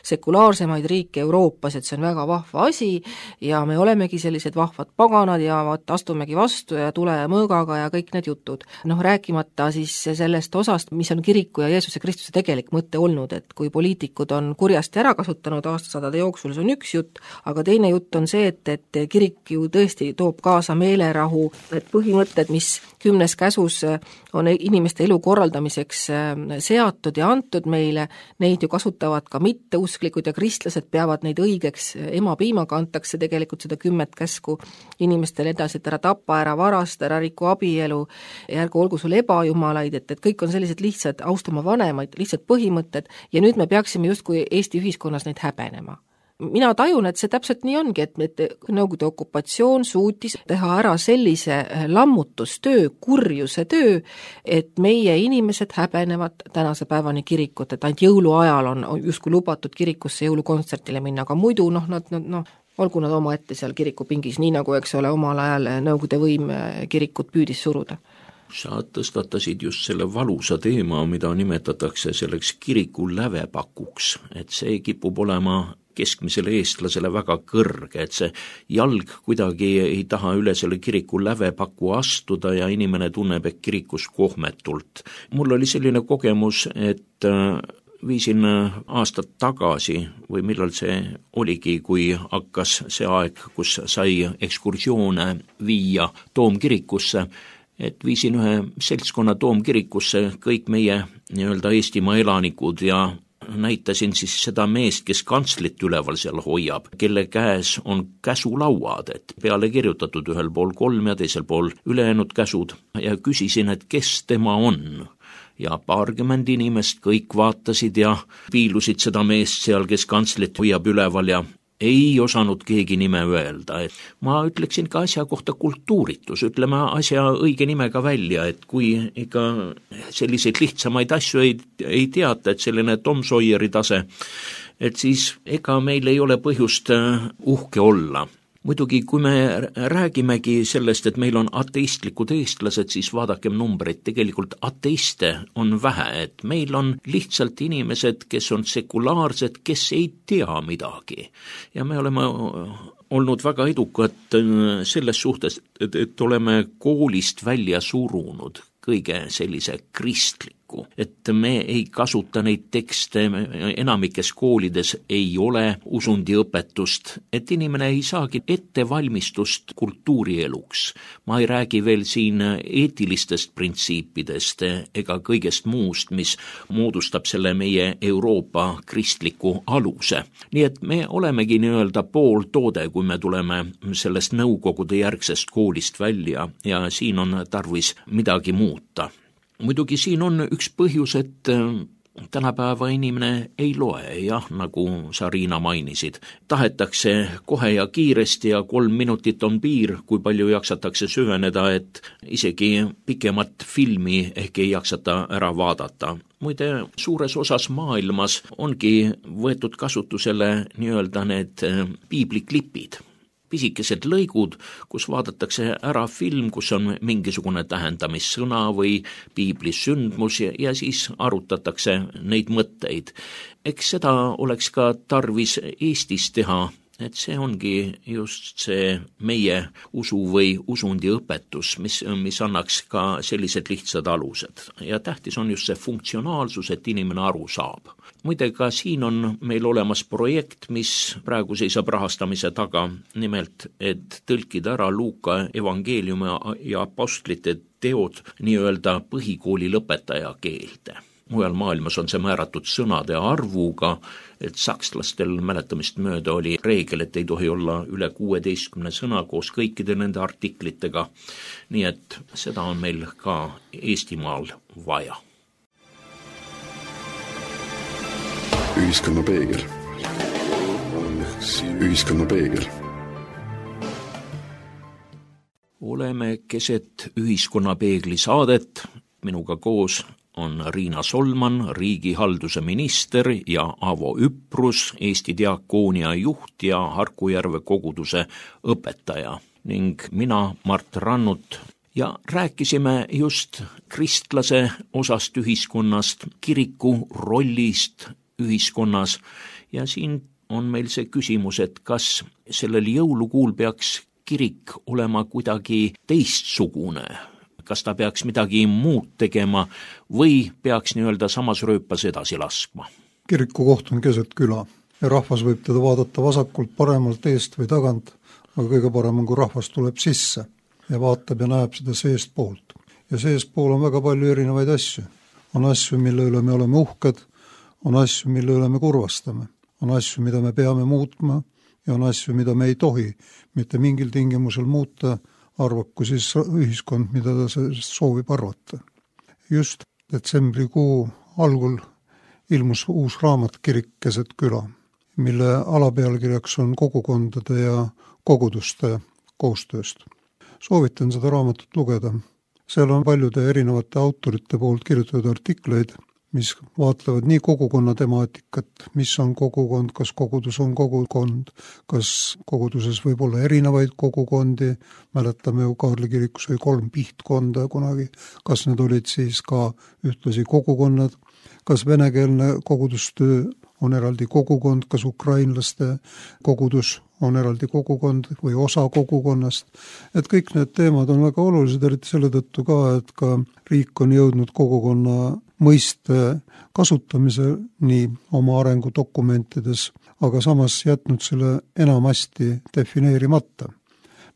sekulaarsemaid riike Euroopas, et see on väga vahva asi ja me olemegi sellised vahvad paganad ja astumegi vastu ja tule ja mõõgaga ja kõik need jutud. Rääkimata siis sellest osast, mis on kiriku ja Jeesuse Kristuse tegelik mõte olnud, et kui poliitikud on kurjasti ära kasutanud aastasadade jooksul, see on üks jutt, aga teine jutt on see, et kirik ju tõesti toob kaasa meelerahu, et põhimõtted, mis 10 käsus on inimeste elu korraldamiseks seatud ja antud meile, neid ju kasutavad ka mitteusklikud ja kristlased peavad neid õigeks, emapiimaga antakse tegelikult seda 10 käsku inimestele edasi, et ära tapa, ära varasta, ära riku abielu ja ärgu olgu sul ebajumalaid, et kõik on sellised lihtsad austama vanemaid, lihtsad põhimõtted ja nüüd me peaksime justkui Eesti ühiskonnas neid häbenema. Mina tajun, et see täpselt nii ongi, et Nõukogude okupatsioon suutis teha ära sellise lammutustöö, kurjuse töö, et meie inimesed häbenevad tänase päevani kirikut, et ainult jõuluajal on justkui lubatud kirikusse jõulukontsertile minna, aga muidu olgu nad oma ette seal kirikupingis, nii nagu, eks ole, omal ajal Nõukogude võim kirikut püüdis suruda. Sa tõstatasid just selle valusa teema, mida nimetatakse selleks kiriku lävepakuks, et see kipub olema keskmisele eestlasele väga kõrge, et see jalg kuidagi ei taha üle selle kiriku lävepaku astuda ja inimene tunneb, et kirikus kohmetult. Mul oli selline kogemus, et viisin aastat tagasi või millal see oligi, kui hakkas see aeg, kus sai ekskursioone viia Toomkirikusse, et viisin ühe seltskonna Toomkirikusse kõik meie nii-öelda Eestimaa elanikud ja näitasin siis seda meest, kes kantslit üleval seal hoiab, kelle käes on käsulauad, et peale kirjutatud ühel pool 3 ja teisel pool ülejäänud käsud ja küsisin, et kes tema on. Ja paarkümmend inimest kõik vaatasid ja piilusid seda meest seal, kes kantslit hoiab üleval ja ei osanud keegi nime öelda, et ma ütleksin ka asja kohta kultuuritus, ütleme asja õige nimega välja, et kui ikka selliseid lihtsamaid asju ei teata, et selline Tom Sawyeri tase, et siis ega meil ei ole põhjust uhke olla. Muidugi, kui me räägimegi sellest, et meil on ateistlikud eestlased, siis vaadakem numbreid, tegelikult ateiste on vähe, et meil on lihtsalt inimesed, kes on sekulaarsed, kes ei tea midagi. Ja me oleme olnud väga edukad selles suhtes, et oleme koolist välja surunud kõige sellise kristliku, et me ei kasuta neid tekste, enamikes koolides ei ole usundiõpetust, et inimene ei saagi ettevalmistust kultuurieluks. Ma ei räägi veel siin eetilistest printsiipidest ega kõigest muust, mis moodustab selle meie Euroopa kristliku aluse. Nii et me olemegi nii-öelda pooltoode, kui me tuleme sellest nõukogude järgsest koolist välja ja siin on tarvis midagi muuta. Muidugi siin on üks põhjus, et tänapäeva inimene ei loe, jah, nagu sa, Riina, mainisid. Tahetakse kohe ja kiiresti ja 3 minutit on piir, kui palju jaksatakse süveneda, et isegi pikemat filmi ehk ei jaksata ära vaadata. Muide, suures osas maailmas ongi võetud kasutusele nii-öelda need piibliklipid. Pisikesed lõigud, kus vaadatakse ära film, kus on mingisugune tähendamissõna või piiblis sündmus ja siis arutatakse neid mõtteid. Eks seda oleks ka tarvis Eestis teha, et see ongi just see meie usu või usundi õpetus, mis annaks ka sellised lihtsad alused. Ja tähtis on just see funktsionaalsus, et inimene aru saab. Muide, ka siin on meil olemas projekt, mis praegu seisab rahastamise taga, nimelt, et tõlkida ära Luuka evangeeliumi ja apostlite teod nii-öelda põhikooli lõpetaja keelde. Mujal maailmas on see määratud sõnade arvuga, et sakslastel mäletamist mööda oli reegel, et ei tohi olla üle 16 sõna koos kõikide nende artiklitega. Nii et seda on meil ka Eestimaal vaja. Ühiskonna peegel. Ühiskonna peegel. Oleme keset ühiskonna peegli saadet, minuga koos on Riina Solman, riigihalduse minister ja Avo Üprus, Eesti diakoonia juht ja Harkujärve koguduse õpetaja ning mina, Mart Rannut. Ja rääkisime just kristlase osast ühiskonnast, kiriku rollist ühiskonnas ja siin on meil see küsimus, et kas sellel jõulukuul peaks kirik olema kuidagi teistsugune, kas ta peaks midagi muud tegema või peaks nii-öelda samas rööpas edasi laskma. Kiriku koht on keset küla ja rahvas võib teda vaadata vasakult, paremalt, eest või tagant, aga kõige parem on, kui rahvas tuleb sisse ja vaatab ja näeb seda seest poolt. Ja seest pool on väga palju erinevaid asju. On asju, mille üle me oleme uhked, on asju, mille üle me kurvastame, on asju, mida me peame muutma ja on asju, mida me ei tohi mitte mingil tingimusel muuta, arvaku siis ühiskond, mida ta soovib arvata. Just detsembrikuu algul ilmus uus raamat Kirik keset küla, mille alapealkirjaks on kogukondade ja koguduste koostööst. Soovitan seda raamatut lugeda. Seal on paljude erinevate autorite poolt kirjutatud artikleid, mis vaatlevad nii kogukonna temaatikat, mis on kogukond, kas kogudus on kogukond, kas koguduses võib olla erinevaid kogukondi, mäletame ju Kaarli kirikus oli 3 pihtkonda kunagi, kas need olid siis ka ühtlasi kogukonnad, kas venekeelne kogudustöö on eraldi kogukond, kas ukrainlaste kogudus on eraldi kogukond või osa kogukonnast, et kõik need teemad on väga olulised, eriti selle tõttu ka, et ka riik on jõudnud kogukonna mõiste kasutamiseni oma arengudokumentides, aga samas jätnud selle enamasti defineerimata.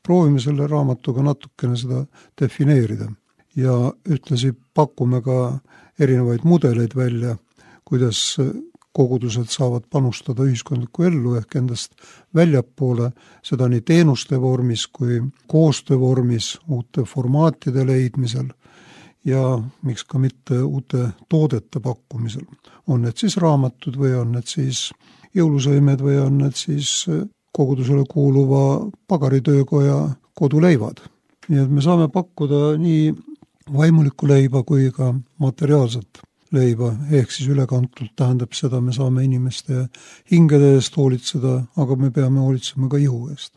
Proovime selle raamatuga natukene seda defineerida. ja ühtlasi pakume ka erinevaid mudeleid välja, kuidas kogudused saavad panustada ühiskondlikku ellu ehk endast väljapoole, seda nii teenuste vormis kui koostöö vormis, uute formaatide leidmisel ja miks ka mitte uute toodete pakkumisel. On need siis raamatud või on need siis jõulusõimed või on need siis kogudusele kuuluva pagaritöökoja koduleivad. Nii et me saame pakkuda nii vaimulikku leiba kui ka materiaalset leiba, ehk siis ülekantult tähendab seda, me saame inimeste hingede eest hoolitseda, aga me peame hoolitsema ka ihu eest.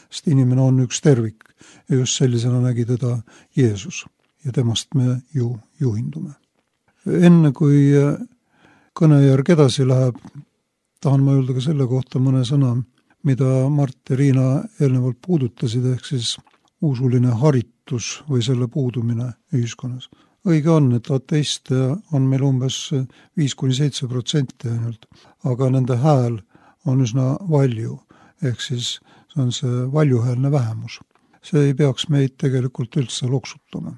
Sest inimene on üks tervik ja just sellisena nägi teda Jeesus ja temast me ju juhindume. Enne kui kõnejärg edasi läheb, tahan ma öelda ka selle kohta mõne sõna, mida Mart ja Riina eelnevalt puudutasid, ehk siis usuline haritus või selle puudumine ühiskonnas. Õige on, et ateiste on meil umbes 5-7% ainult, aga nende hääl on üsna valju, ehk siis see on see valjuhäälne vähemus. See ei peaks meid tegelikult üldse loksutama.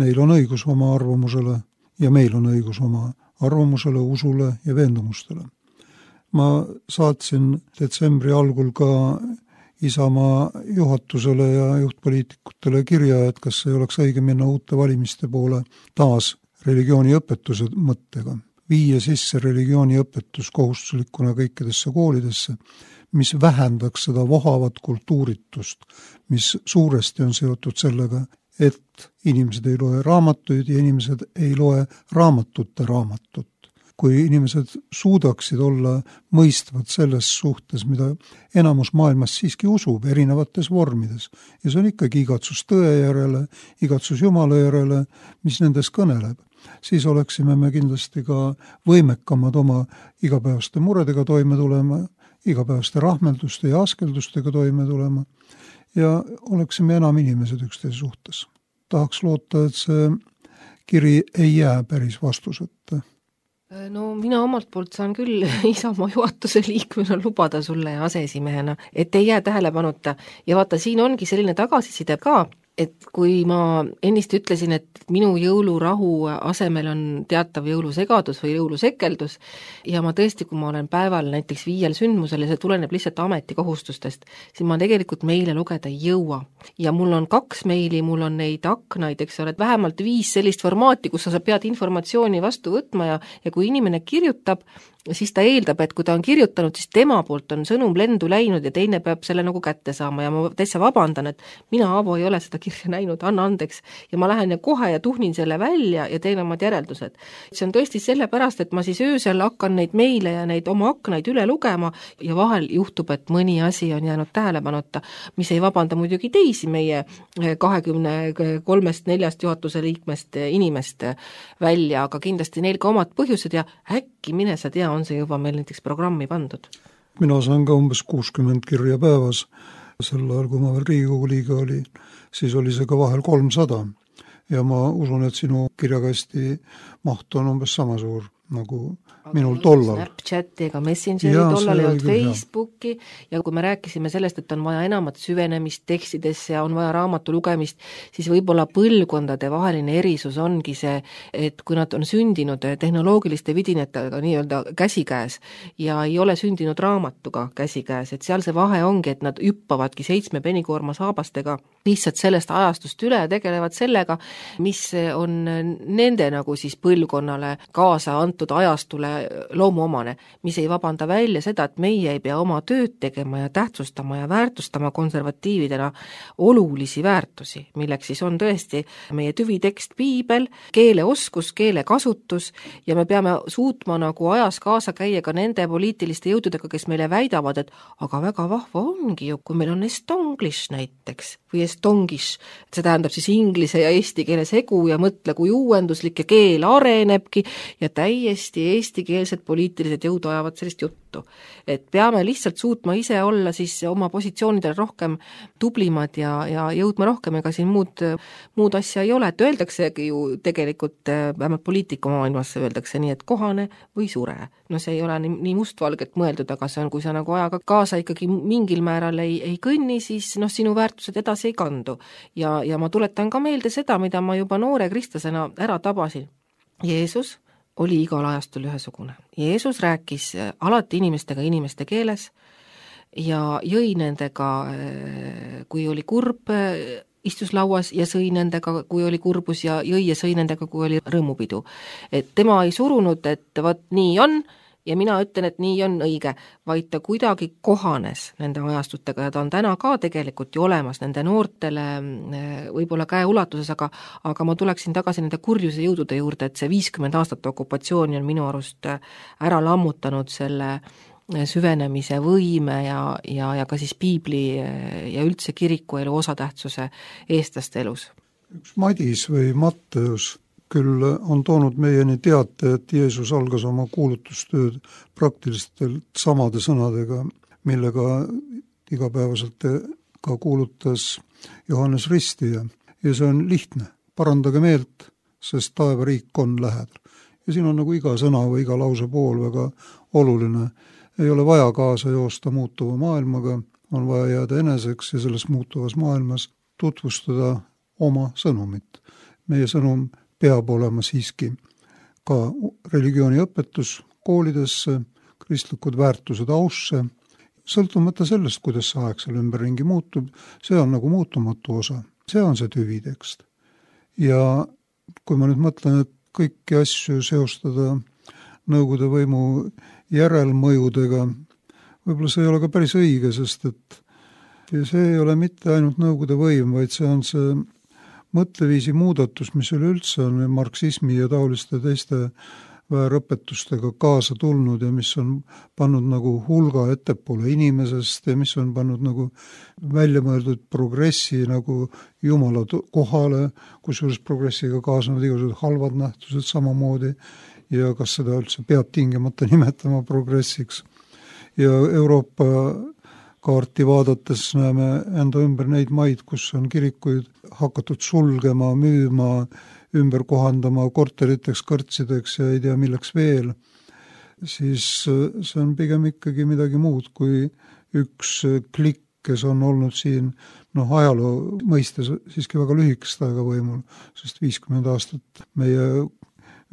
Neil on õigus oma arvamusele ja meil on õigus oma arvamusele, usule ja veendumustele. Ma saatsin detsembri algul ka Isamaa juhatusele ja juhtpoliitikutele kirja, et kas ei oleks õige minna uute valimiste poole taas religiooniõpetuse mõttega. Viia sisse religiooniõpetus kohustuslikuna kõikidesse koolidesse, mis vähendaks seda vohavat kultuuritust, mis suuresti on seotud sellega, et inimesed ei loe raamatuid ja inimesed ei loe raamatut. Kui inimesed suudaksid olla mõistvad selles suhtes, mida enamus maailmas siiski usub erinevates vormides. Ja see on ikkagi igatsus tõe järele, igatsus Jumala järele, mis nendes kõneleb. Siis oleksime me kindlasti ka võimekamad oma igapäevaste muredega toime tulema, igapäevaste rahmelduste ja askeldustega toime tulema ja oleksime enam inimesed üksteise suhtes. Tahaks loota, et see kiri ei jää päris vastuseta. No mina omalt poolt saan küll Isamaa juhatuse liikmena lubada sulle ja aseesimehena, et ei jää tähelepanuta. Ja vaata, siin ongi selline tagasiside ka, et kui ma ennist ütlesin, et minu jõulurahu asemel on teatav jõulusegadus või jõulusekeldus ja ma tõesti, kui ma olen päeval näiteks 5 sündmusel ja see tuleneb lihtsalt ametikohustustest, siis ma tegelikult meile lugeda ei jõua. Ja mul on 2 meili, mul on neid aknaid, eks ole, vähemalt 5 sellist formaati, kus sa pead informatsiooni vastu võtma ja kui inimene kirjutab, siis ta eeldab, et kui ta on kirjutanud, siis tema poolt on sõnum lendu läinud ja teine peab selle nagu kätte saama ja ma täitsa vabandan, et mina, Aavo, ei ole seda kirja näinud, anna andeks. Ja ma lähen ja kohe ja tuhnin selle välja ja teen omad järeldused. See on tõesti sellepärast, et ma siis öösel hakkan neid meile ja neid oma aknaid üle lugema ja vahel juhtub, et mõni asi on jäänud tähelepanuta, mis ei vabanda muidugi teisi meie 23-4 juhatuse liikmest inimest välja, aga kindlasti neil ka omad põhjused ja äkki mine sa tea, on see juba meil näiteks programmi pandud? Mina saan ka umbes 60 kirja päevas. Sel ajal, kui ma veel Riigikogu liige oli, siis oli see ka vahel 300. Ja ma usun, et sinu kirjakasti maht on umbes sama suur nagu minul tollal. Snapchati ega Messengeri tollal ei olnud Facebooki ja kui me rääkisime sellest, et on vaja enamat süvenemist tekstidesse ja on vaja raamatu lugemist, siis võib-olla põlvkondade vaheline erisus ongi see, et kui nad on sündinud tehnoloogiliste vidinetega nii-öelda käsikäes ja ei ole sündinud raamatuga käsikäes, et seal see vahe ongi, et nad hüppavadki 7 penikoorma saabastega lihtsalt sellest ajastust üle ja tegelevad sellega, mis on nende nagu siis põlvkonnale kaasa antud ajastule loomuomane, mis ei vabanda välja seda, et meie ei pea oma tööd tegema ja tähtsustama ja väärtustama konservatiividena olulisi väärtusi, milleks siis on tõesti meie tüvitekst piibel, keeleoskus, keelekasutus ja me peame suutma nagu ajas kaasa käia ka nende poliitiliste jõududega, kes meile väidavad, et aga väga vahva ongi ju, kui meil on estonglish näiteks või estongish, see tähendab siis inglise ja eesti keele segu ja mõtle, kui uuenduslik ja keel arenebki ja täiesti täiesti eestikeelsed poliitilised jõud ajavad sellist juttu. Et peame lihtsalt suutma ise olla siis oma positsioonidel rohkem tublimad ja jõudma rohkem, ega siin muud asja ei ole, et öeldaksegi ju tegelikult, vähemalt poliitikamaailmas öeldakse nii, et kohane või sure. No see ei ole nii mustvalget mõeldud, aga see on, kui sa nagu ajaga kaasa ikkagi mingil määral ei kõnni, siis sinu väärtused edasi ei kandu. Ja ma tuletan ka meelde seda, mida ma juba noore kristlasena ära tabasin. Jeesus oli igal ajastul ühesugune. Jeesus rääkis alati inimestega inimeste keeles ja jõi nendega, kui oli kurb, istus lauas ja sõi nendega, kui oli kurbus ja jõi ja sõi nendega, kui oli rõõmupidu. Et tema ei surunud, et vaat nii on ja mina ütlen, et nii on õige, vaid ta kuidagi kohanes nende ajastutega ja ta on täna ka tegelikult ju olemas nende noortele võib-olla käeulatuses, aga ma tuleksin tagasi nende kurjuse jõudude juurde, et see 50 aastat okupatsiooni on minu arust ära lammutanud selle süvenemise võime ja ka siis piibli ja üldse kirikuelu osatähtsuse eestlaste elus. Üks Madis või Matteus küll on toonud meieni teate, et Jeesus algas oma kuulutustööd praktiliselt samade sõnadega, millega igapäevaselt ka kuulutas Johannes Ristija. Ja see on lihtne. Parandage meelt, sest taevariik on lähedal. Ja siin on nagu iga sõna või iga lause pool väga oluline. Ei ole vaja kaasa joosta muutuva maailmaga, on vaja jääda eneseks ja selles muutuvas maailmas tutvustada oma sõnumit. Meie sõnum peab olema siiski ka religiooniõpetus koolidesse, kristlikud väärtused ausse, sõltumata sellest, kuidas see aeg seal ümberringi muutub, see on nagu muutumatu osa. See on see tüvitekst. Ja kui ma nüüd mõtlen, et kõiki asju seostada Nõukogude võimu järelmõjudega, võib-olla see ei ole ka päris õige, sest et see ei ole mitte ainult Nõukogude võim, vaid see on see mõtleviisi muudatus, mis üleüldse on marksismi ja taoliste teiste väärõpetustega kaasa tulnud ja mis on pannud nagu hulga ettepoole inimesest ja mis on pannud nagu välja mõeldud progressi nagu Jumala kohale, kusjuures progressiga kaasnevad igasugused halvad nähtused samamoodi ja kas seda üldse peab tingimata nimetama progressiks. Ja Euroopa kaarti vaadates näeme enda ümber neid maid, kus on kirikuid hakatud sulgema, müüma, ümber kohandama korteriteks, kõrtsideks ja ei tea milleks veel, siis see on pigem ikkagi midagi muud kui üks klikk, kes on olnud siin ajaloo mõistes siiski väga lühikest aega võimul, sest 50 aastat meie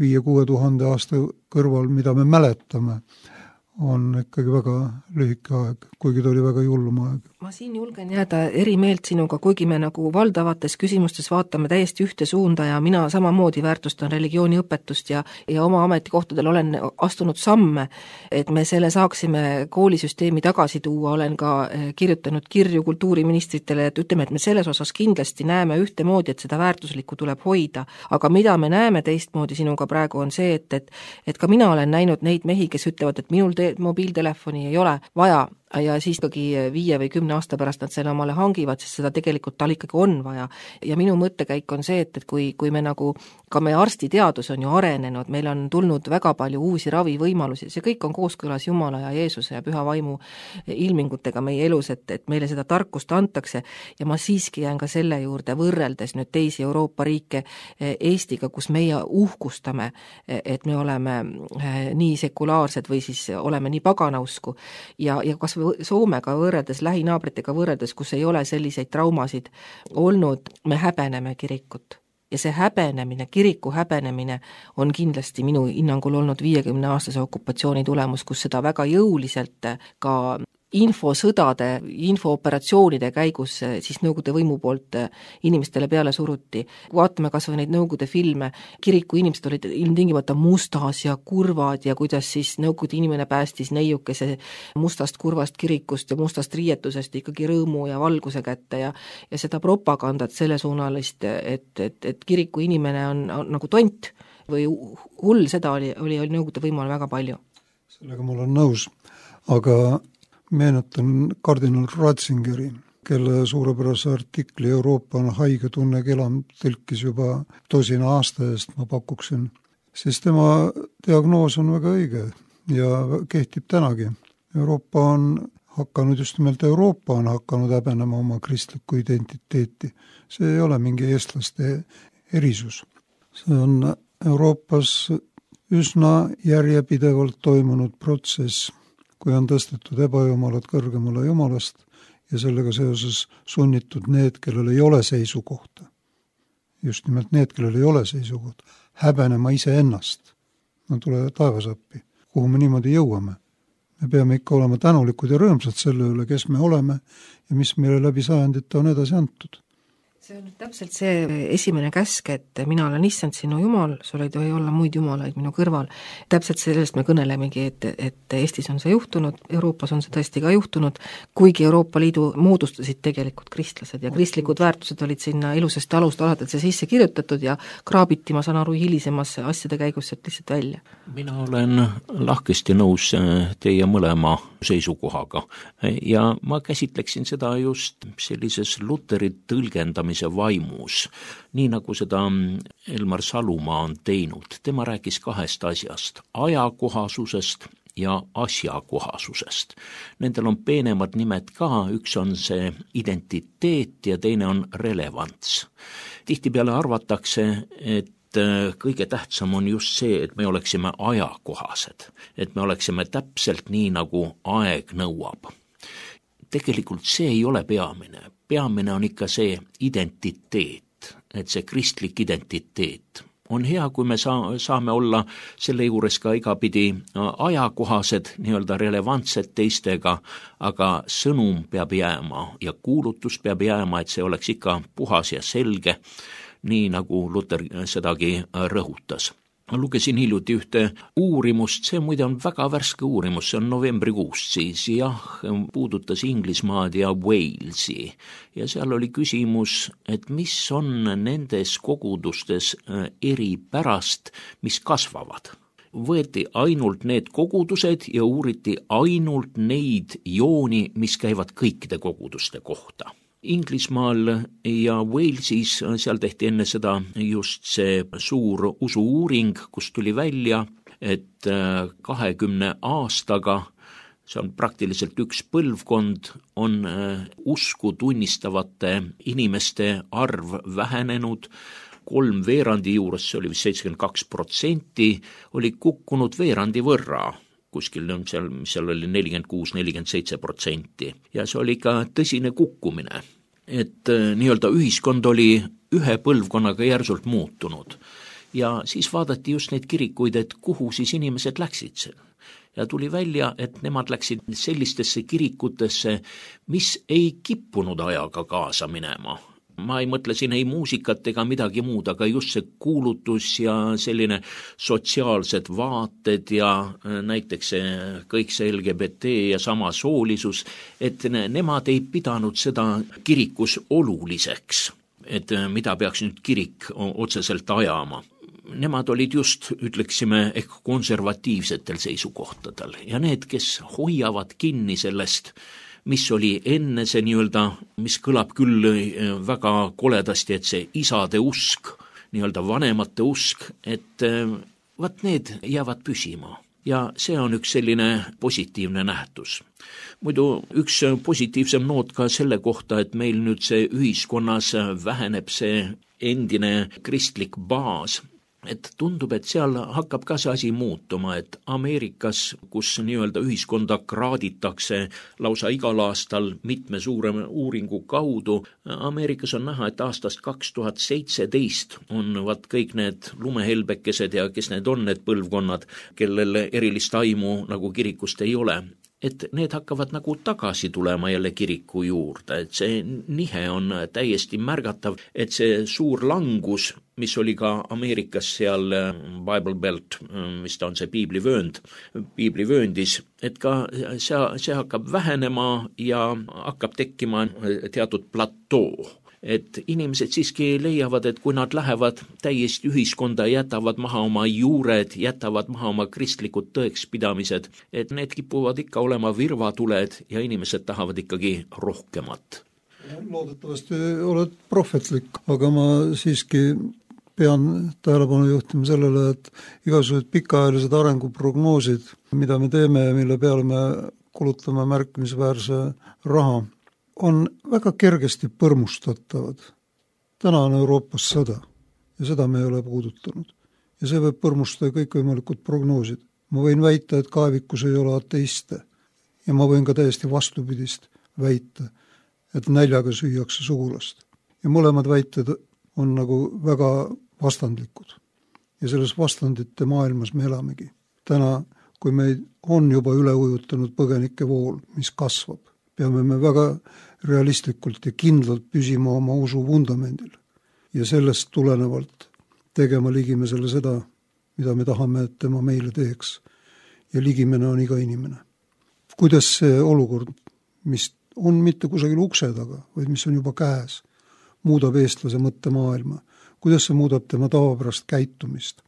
5-6 tuhande aasta kõrval, mida me mäletame, on ikkagi väga lühike aeg, kuigi ta oli väga julm aeg. Ma siin julgen jääda eri meelt sinuga, kuigi me nagu valdavates küsimustes vaatame täiesti ühte suunda ja mina samamoodi väärtustan religiooniõpetust ja oma ametikohtadel olen astunud samme, et me selle saaksime koolisüsteemi tagasi tuua, olen ka kirjutanud kirju kultuuriministritele, et ütleme, et me selles osas kindlasti näeme ühtemoodi, et seda väärtuslikku tuleb hoida, aga mida me näeme teistmoodi sinuga praegu on see, et ka mina olen näinud neid mehi, kes ütlevad, et minul mobiiltelefoni ei ole vaja ja siis ikkagi 5 või 10 aasta pärast nad selle omale hangivad, sest seda tegelikult tal ikkagi on vaja. Ja minu mõttekäik on see, et kui me nagu, ka meie arstiteadus on ju arenenud, meil on tulnud väga palju uusi ravivõimalusi, see kõik on kooskõlas Jumala ja Jeesuse ja Püha Vaimu ilmingutega meie elus, et meile seda tarkust antakse ja ma siiski jään ka selle juurde võrreldes nüüd teisi Euroopa riike Eestiga, kus meie uhkustame, et me oleme nii sekulaarsed või siis oleme nii paganausku ja kas Soomega võrreldes, lähinaabritega võrreldes, kus ei ole selliseid traumasid olnud, me häbeneme kirikut. Ja see häbenemine, kiriku häbenemine on kindlasti minu hinnangul olnud 50-aastase okupatsiooni tulemus, kus seda väga jõuliselt ka infosõdade, infooperatsioonide käigus siis Nõukogude võimu poolt inimestele peale suruti. Vaatame kas või neid Nõukogude filme, kiriku inimesed olid ilmtingimata mustas ja kurvad ja kuidas siis Nõukogude inimene päästis neiukese mustast kurvast kirikust ja mustast riietusest ikkagi rõõmu ja valguse kätte ja seda propagandat sellesuunalist, et kiriku inimene on nagu tont või hull, seda oli Nõukogude võimu väga palju. Sellega ma olen nõus, aga meenutan kardinal Ratzingeri, kelle suurepärase artikli Euroopa on haige tunne kelam tõlkis juba 10 aasta eest, ma pakuksin. siis tema diagnoos on väga õige ja kehtib tänagi. Euroopa on hakanud, just nimelt Euroopa on hakanud häbenema oma kristlikku identiteeti. See ei ole mingi eestlaste erisus. See on Euroopas üsna järjepidevalt toimunud protsess, kui on tõstetud ebajumalad kõrgemale jumalast ja sellega seoses sunnitud need, kellel ei ole seisukohta. Just nimelt need, kellel ei ole seisukohta, häbenema iseennast. No tule taevasappi, kuhu me niimoodi jõuame. Me peame ikka olema tänulikud ja rõõmsad selle üle, kes me oleme ja mis meile läbi sajandite on edasi antud. See on nüüd täpselt see esimene käsk, et mina olen issand sinu jumal, sul ei tohi olla muid jumalaid minu kõrval. Täpselt sellest me kõnelemegi, et Eestis on see juhtunud, Euroopas on see tõesti ka juhtunud, kuigi Euroopa Liidu moodustasid tegelikult kristlased ja kristlikud väärtused olid sinna ilusasti alust alates sisse kirjutatud ja kraabiti, ma saan aru, hilisemas asjade käigus sealt lihtsalt välja. Mina olen lahkesti nõus teie mõlema seisukohaga ja ma käsitleksin seda just sellises Luteri tõlgendamise vaimus, nii nagu seda Elmar Salumaa on teinud. Tema rääkis kahest asjast, ajakohasusest ja asjakohasusest. Nendel on peenemad nimed ka, üks on see identiteet ja teine on relevants. Tihtipeale arvatakse, et kõige tähtsam on just see, et me oleksime ajakohased, et me oleksime täpselt nii, nagu aeg nõuab. Tegelikult see ei ole peamine. Peamine on ikka see identiteet, et see kristlik identiteet. On hea, kui me saame olla selle juures ka igapidi ajakohased, nii-öelda relevantsed teistega, aga sõnum peab jääma ja kuulutus peab jääma, et see oleks ikka puhas ja selge, nii nagu Luter sedagi rõhutas. Lugesin hiljuti ühte uurimust, see muide on väga värske uurimus, see on novembrikuust siis, puudutas Inglismaad ja Walesi ja seal oli küsimus, et mis on nendes kogudustes eripärast, mis kasvavad. Võeti ainult need kogudused ja uuriti ainult neid jooni, mis käivad kõikide koguduste kohta. Inglismaal ja Walesis, seal tehti enne seda just see suur usu-uuring, kus tuli välja, et 20 aastaga, see on praktiliselt üks põlvkond, on usku tunnistavate inimeste arv vähenenud, 3/4 juures, see oli vist 72%, oli kukkunud veerandi võrra. Kuskil seal oli 46-47% ja see oli ikka tõsine kukkumine, et nii-öelda ühiskond oli ühe põlvkonnaga järsult muutunud ja siis vaadati just neid kirikuid, et kuhu siis inimesed läksid ja tuli välja, et nemad läksid sellistesse kirikutesse, mis ei kippunud ajaga kaasa minema. Ma ei mõtle siin ei muusikat ega midagi muud, aga just see kuulutus ja selline sotsiaalsed vaated ja näiteks kõik see LGBT ja samasoolisus, et nemad ei pidanud seda kirikus oluliseks, et mida peaks nüüd kirik otseselt ajama. Nemad olid just, ütleksime, ehk konservatiivsetel seisukohtadel ja need, kes hoiavad kinni sellest, mis oli enne see nii-öelda, mis kõlab küll väga koledasti, et see isade usk, nii-öelda vanemate usk, et vaat need jäävad püsima. Ja see on üks selline positiivne nähtus. Muidu üks positiivsem noot ka selle kohta, et meil nüüd see ühiskonnas väheneb see endine kristlik baas, et tundub, et seal hakkab ka see asi muutuma, et Ameerikas, kus nii-öelda ühiskonda kraaditakse lausa igal aastal mitme suurema uuringu kaudu, Ameerikas on näha, et aastast 2017 on kõik need lumehelbekesed ja kes need on need põlvkonnad, kellel erilist aimu nagu kirikust ei ole, et need hakkavad nagu tagasi tulema jälle kiriku juurde, et see nihe on täiesti märgatav, et see suur langus, mis oli ka Ameerikas seal Bible Belt, mis ta on see piiblivööndis, et ka see hakkab vähenema ja hakkab tekkima teatud platoo. Et inimesed siiski leiavad, et kui nad lähevad täiesti ühiskonda, jätavad maha oma juured, jätavad maha oma kristlikud tõekspidamised, et need kipuvad ikka olema virvatuled ja inimesed tahavad ikkagi rohkemat. Loodetavasti oled prohvetlik, aga ma siiski pean tähelepanu juhtima sellele, et igasugused pikaajalised arenguprognoosid, mida me teeme ja mille peale me kulutame märkimisväärse raha, on väga kergesti põrmustatavad. Täna on Euroopas sõda ja seda me ei ole puudutanud. Ja see võib põrmustada kõikvõimalikud prognoosid. Ma võin väita, et kaevikus ei ole ateiste ja ma võin ka täiesti vastupidist väita, et näljaga süüakse sugulast. Ja mõlemad väited on nagu väga vastandlikud. Ja selles vastandite maailmas me elamegi. Täna, kui meid on juba üle ujutanud põgenike vool, mis kasvab, peame me väga realistlikult ja kindlalt püsima oma usu vundamendil. Ja sellest tulenevalt tegema Ligimesele seda, mida me tahame, et tema meile teeks. Ja Ligimene on iga inimene. Kuidas see olukord, mis on mitte kusagil ukse taga, vaid mis on juba käes, muudab eestlase mõttemaailma, kuidas see muudab tema tavapärast käitumist,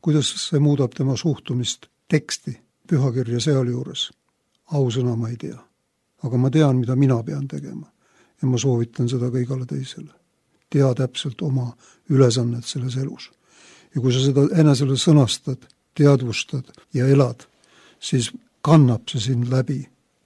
kuidas see muudab tema suhtumist teksti, pühakirja sealjuures. Ausõna ma ei tea, aga ma tean, mida mina pean tegema ja ma soovitan seda ka igale teisele. Tea täpselt oma ülesannet selles elus. Ja kui sa seda enesele sõnastad, teadvustad ja elad, siis kannab see sind läbi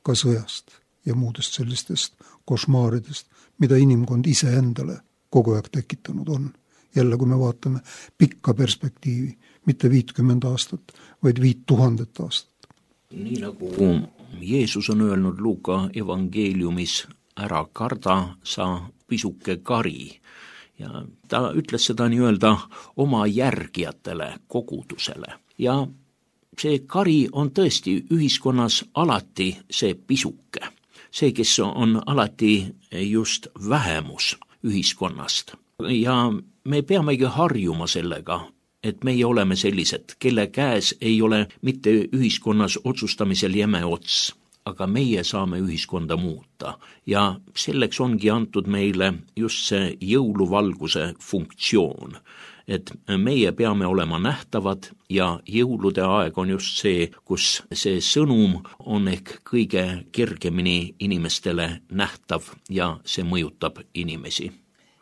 ka sõjast ja muudest sellistest košmaaridest, mida inimkond ise endale kogu aeg tekitanud on. Jälle, kui me vaatame pikka perspektiivi, mitte 50 aastat, vaid 5000 aastat. Nii nagu Jeesus on öelnud Luuka evangeeliumis, ära karda, sa pisuke kari. Ja ta ütles seda nii-öelda oma järgijatele, kogudusele. Ja see kari on tõesti ühiskonnas alati see pisuke. See, kes on alati just vähemus ühiskonnast. Ja me peamegi harjuma sellega, et meie oleme sellised, kelle käes ei ole mitte ühiskonnas otsustamisel jäme ots, aga meie saame ühiskonda muuta. Ja selleks ongi antud meile just see jõuluvalguse funktsioon, et meie peame olema nähtavad ja jõulude aeg on just see, kus see sõnum on ehk kõige kergemini inimestele nähtav ja see mõjutab inimesi.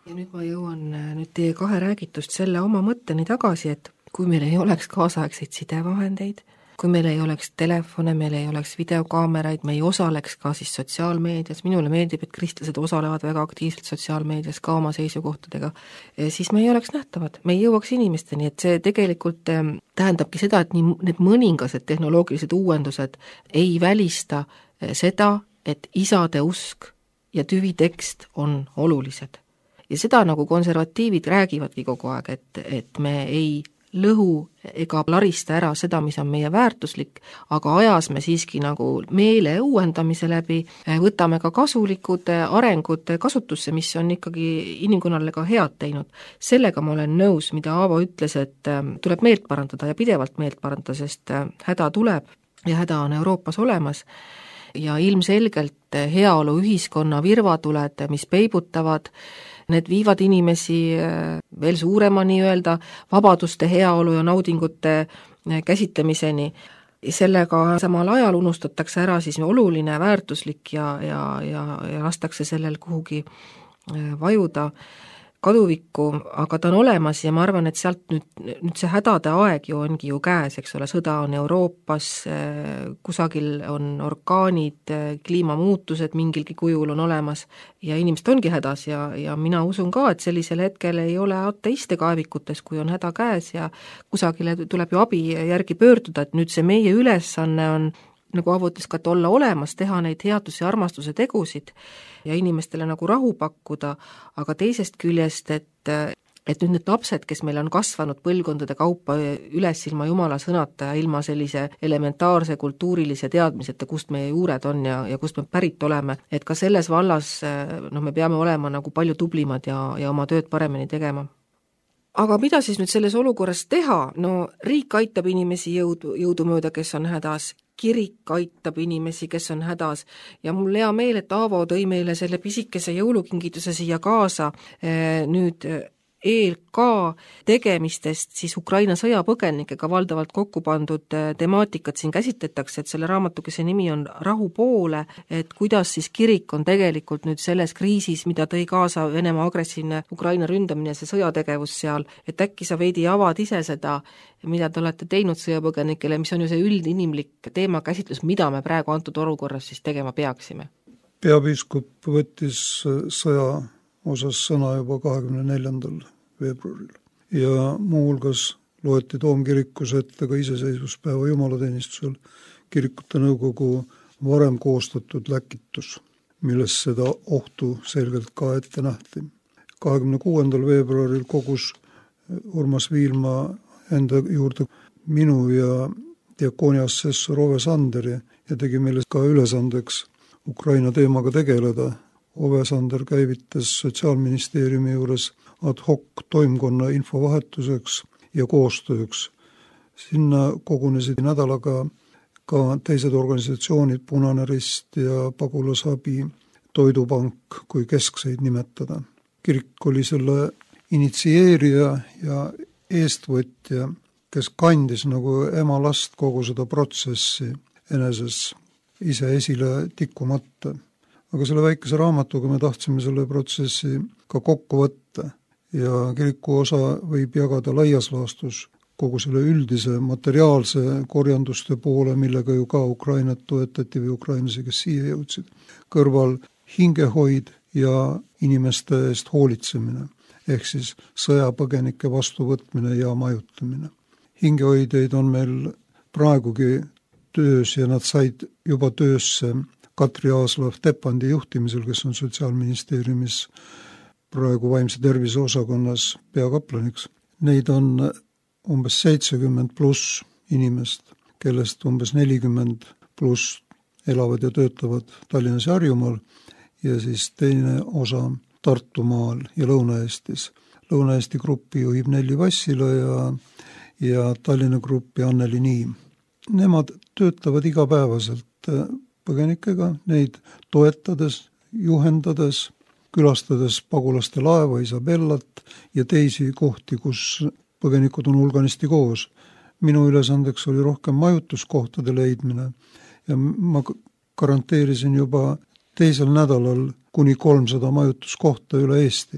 Ja nüüd ma jõuan nüüd teie kahe räägitust selle oma mõtteni tagasi, et kui meil ei oleks kaasaegseid sidevahendeid, kui meil ei oleks telefone, meil ei oleks videokaameraid, me ei osaleks ka siis sotsiaalmeedias, minule meeldib, et kristlased osalevad väga aktiivselt sotsiaalmeedias ka oma seisukohtadega, siis me ei oleks nähtavad, me ei jõuaks inimesteni, et see tegelikult tähendabki seda, et nii need mõningased tehnoloogilised uuendused ei välista seda, et isade usk ja tüvitekst on olulised. Ja seda nagu konservatiivid räägivadki kogu aeg, et me ei lõhu ega larista ära seda, mis on meie väärtuslik, aga ajas me siiski nagu meele uuendamise läbi, võtame ka kasulikud arengud kasutusse, mis on ikkagi inimkonnale ka head teinud. Sellega ma olen nõus, mida Aavo ütles, et tuleb meelt parandada ja pidevalt meelt parandada, sest häda tuleb ja häda on Euroopas olemas. Ja ilmselgelt heaolu ühiskonna virvatuled, mis peibutavad, need viivad inimesi veel suurema nii-öelda vabaduste, heaolu ja naudingute käsitlemiseni. Sellega samal ajal unustatakse ära siis oluline, väärtuslik ja lastakse sellel kuhugi vajuda kaduvikku, aga ta on olemas ja ma arvan, et sealt nüüd see hädade aeg ju ongi ju käes, eks ole, sõda on Euroopas, kusagil on orkaanid, kliimamuutused mingilgi kujul on olemas ja inimesed ongi hädas ja mina usun ka, et sellisel hetkel ei ole ateiste kaevikutes, kui on häda käes ja kusagile tuleb ju abi järgi pöörduda, et nüüd see meie ülesanne on nagu Aavo ütles ka, et olla olemas, teha neid headuse ja armastuse tegusid ja inimestele nagu rahu pakkuda, aga teisest küljest, et nüüd need lapsed, kes meil on kasvanud põlvkondade kaupa üles ilma Jumala sõnata ja ilma sellise elementaarse kultuurilise teadmiseta, kust meie juured on ja kust me pärit oleme, et ka selles vallas me peame olema nagu palju tublimad ja oma tööd paremini tegema. Aga mida siis nüüd selles olukorras teha? No riik aitab inimesi jõudumööda, kes on hädas, kirik aitab inimesi, kes on hädas ja mul hea meel, et Aavo tõi meile selle pisikese jõulukingituse siia kaasa. Nüüd ELK tegemistest siis Ukraina sõjapõgenikega valdavalt kokku pandud temaatikat siin käsitletakse, et selle raamatukese nimi on Rahu poole, et kuidas siis kirik on tegelikult nüüd selles kriisis, mida tõi kaasa Venemaa agressiivne Ukraina ründamine, see sõjategevus seal, et äkki sa veidi avad ise seda, mida te olete teinud sõjapõgenikele, mis on ju see üldinimlik teemakäsitlus, mida me praegu antud olukorras siis tegema peaksime? Peapiiskop võttis sõja osas sõna juba 24. veebruaril ja muuhulgas loeti Toomkirikus ette ka iseseisvuspäeva jumalateenistusel kirikute nõukogu varem koostatud läkitus, milles seda ohtu selgelt ka ette nähti. 26. veebruaril kogus Urmas Viilma enda juurde minu ja diakooni assessor Ove Sanderi ja tegi meile ka ülesandeks Ukraina teemaga tegeleda. Ove Sander käivitas Sotsiaalministeeriumi juures ad hoc toimkonna infovahetuseks ja koostööks. Sinna kogunesid nädalaga ka teised organisatsioonid, Punane Rist ja Pagulasabi, Toidupank, kui keskseid nimetada. Kirik oli selle initsieerija ja eestvõtja, kes kandis nagu ema last kogu seda protsessi eneses ise esile tikkumata. Aga selle väikese raamatuga me tahtsime selle protsessi ka kokku võtta ja kiriku osa võib jagada laias laastus kogu selle üldise materiaalse korjanduste poole, millega ju ka Ukrainat toetati või ukrainlasi, kes siia jõudsid. Kõrval hingehoid ja inimeste eest hoolitsemine, ehk siis sõjapõgenike vastuvõtmine ja majutamine. Hingehoideid on meil praegugi töös ja nad said juba töösse Katri Aaslav-Tepandi juhtimisel, kes on Sotsiaalministeeriumis praegu vaimse tervise osakonnas peakaplaniks. Neid on umbes 70 pluss inimest, kellest umbes 40 pluss elavad ja töötavad Tallinnas ja Harjumaal ja siis teine osa Tartumaal ja Lõuna-Eestis. Lõuna-Eesti gruppi juhib Nelli Vassila ja Tallinna gruppi Anneli Niim. Nemad töötavad igapäevaselt põgenikega, neid toetades, juhendades, külastades pagulaste laeva Isabellat ja teisi kohti, kus põgenikud on hulganisti koos. Minu ülesandeks oli rohkem majutuskohtade leidmine ja ma garanteerisin juba teisel nädalal kuni 300 majutuskohta üle Eesti.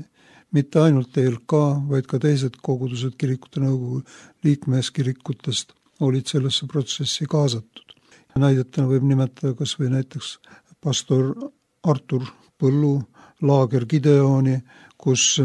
Mitte ainult ELK, vaid ka teised kogudused kirikute nõukogu liikmeskirikutest olid sellesse protsessi kaasatud. Näidetena võib nimetada kas või näiteks pastor Artur Põllu laager Gideoni, kus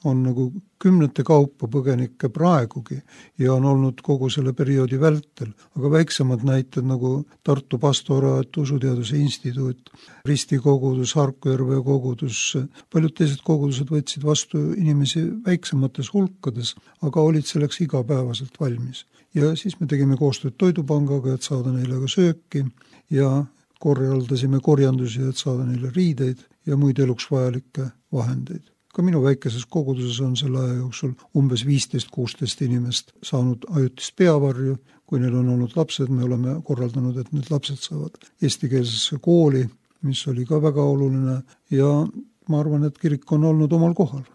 on nagu kümnete kaupa põgenikke praegugi ja on olnud kogu selle perioodi vältel, aga väiksemad näited nagu Tartu pastoraat, Usuteaduse instituut, Risti kogudus, Harkujärve kogudus, paljud teised kogudused võtsid vastu inimesi väiksemates hulkades, aga olid selleks igapäevaselt valmis. Ja siis me tegime koostööd Toidupangaga, et saada neile ka sööki ja korraldasime korjandusi, et saada neile riideid ja muid eluks vajalikke vahendeid. Ka minu väikeses koguduses on selle aja jooksul umbes 15-16 inimest saanud ajutist peavarju. Kui neil on olnud lapsed, me oleme korraldanud, et need lapsed saavad eestikeelsesse kooli, mis oli ka väga oluline ja ma arvan, et kirik on olnud omal kohal.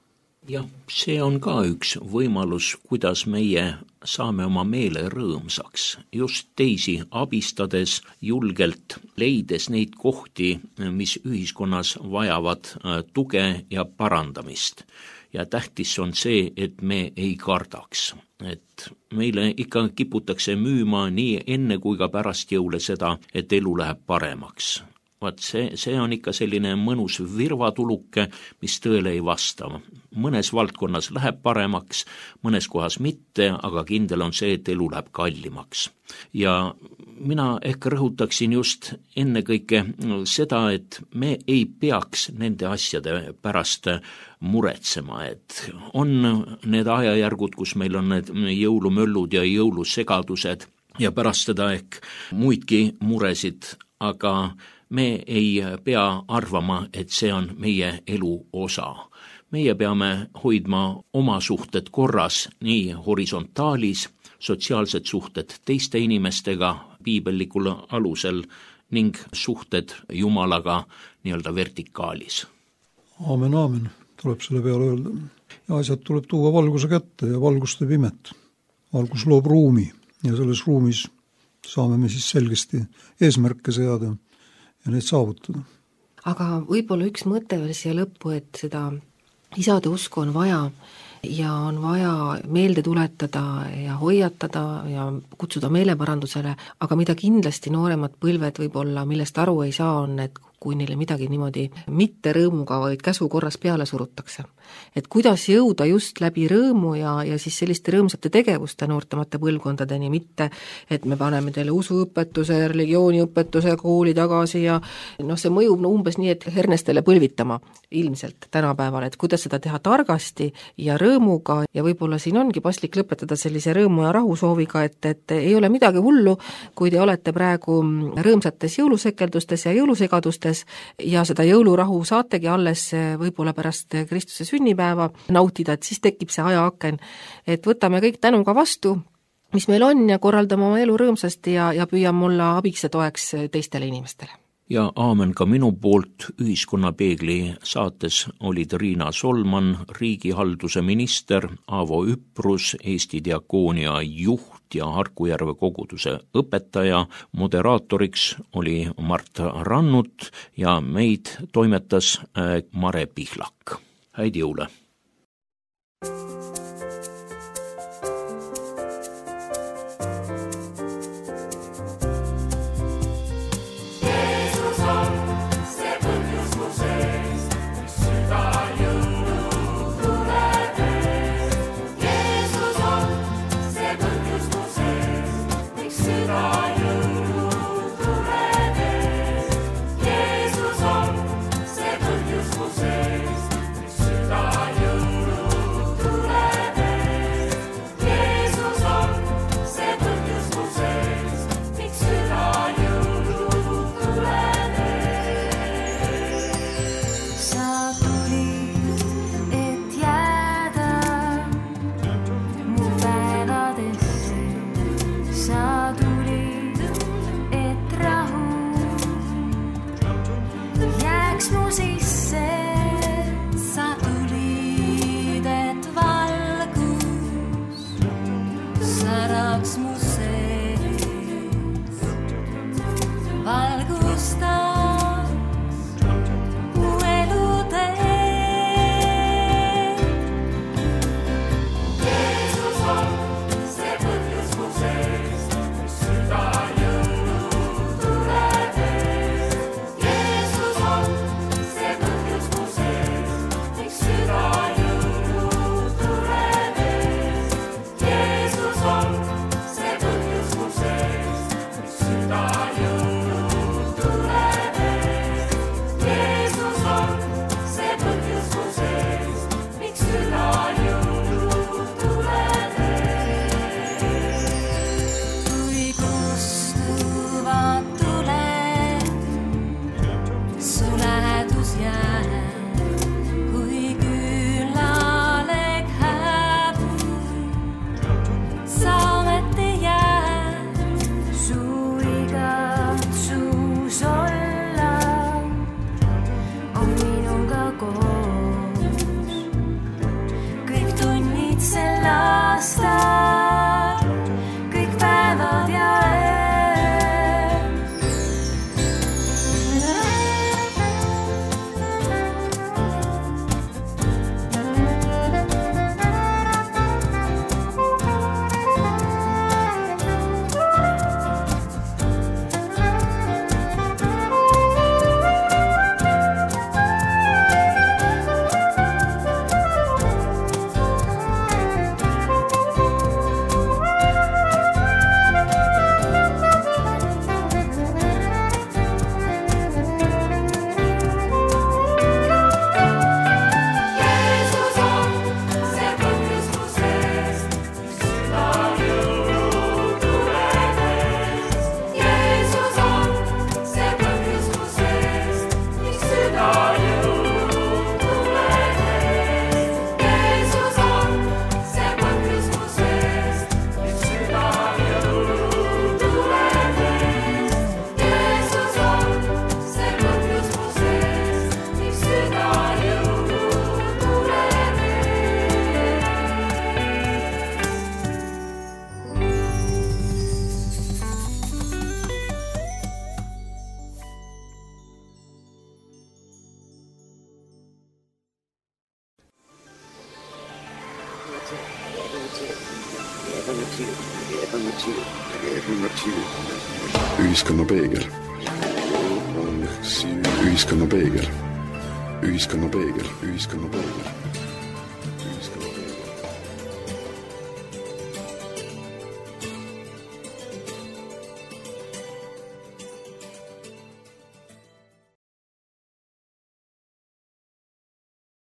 Jah, see on ka üks võimalus, kuidas meie saame oma meele rõõmsaks, just teisi abistades, julgelt leides neid kohti, mis ühiskonnas vajavad tuge ja parandamist. Ja tähtis on see, et me ei kardaks, et meile ikka kiputakse müüma nii enne kui ka pärast jõule seda, et elu läheb paremaks. Vaat see on ikka selline mõnus virvatuluke, mis tõele ei vasta. Mõnes valdkonnas läheb paremaks, mõnes kohas mitte, aga kindel on see, et elu läheb kallimaks. Ja mina ehk rõhutaksin just ennekõike seda, et me ei peaks nende asjade pärast muretsema, et on need ajajärgud, kus meil on need jõulumöllud ja jõulusegadused ja pärast seda ehk muidki muresid, aga me ei pea arvama, et see on meie elu osa. Meie peame hoidma oma suhted korras nii horisontaalis, sotsiaalsed suhted teiste inimestega piibellikul alusel ning suhted Jumalaga nii-öelda vertikaalis. Aamen, tuleb selle peale öelda. ja asjad tuleb tuua valguse kätte ja valgus teeb imet. Valgus loob ruumi ja selles ruumis saame me siis selgesti eesmärke seada ja neid saavutada. Aga võib-olla üks mõte veel siia lõppu, et seda isade usku on vaja ja on vaja meelde tuletada ja hoiatada ja kutsuda meeleparandusele, aga mida kindlasti nooremad põlved võib-olla, millest aru ei saa, on, et kui neile midagi niimoodi mitte rõõmuga, vaid käsu korras peale surutakse. Et kuidas jõuda just läbi rõõmu ja siis selliste rõõmsate tegevuste noortemate põlvkondadeni, mitte et me paneme teile usuõpetuse, religiooniõpetuse kooli tagasi ja see mõjub umbes nii, et hernestele põlvitama ilmselt tänapäeval, et kuidas seda teha targasti ja rõõmuga ja võib-olla siin ongi paslik lõpetada sellise rõõmu ja rahu sooviga, et ei ole midagi hullu, kui te olete praegu rõõmsates jõulusekeldustes ja jõulusegadustes ja seda jõulurahu saategi alles võib-olla pärast Kristuse sünnipäeva nautida, et siis tekib see ajaaken, et võtame kõik tänuga vastu, mis meil on ja korraldame oma elu rõõmsasti ja püüame olla abiks ja toeks teistele inimestele. Ja aamen ka minu poolt. Ühiskonnapeegli saates olid Riina Solman, riigihalduse minister, Aavo Üprus, Eesti Diakoonia juht ja Harkujärve koguduse õpetaja. Moderaatoriks oli Mart Rannut ja meid toimetas Mare Pihlak. Häid jõule! Jeesus on see põhjus mu sees, miks süda Ühiskonnapeegel. Ühiskonnapeegel. Ühiskonnapeegel. Ühiskonnapeegel.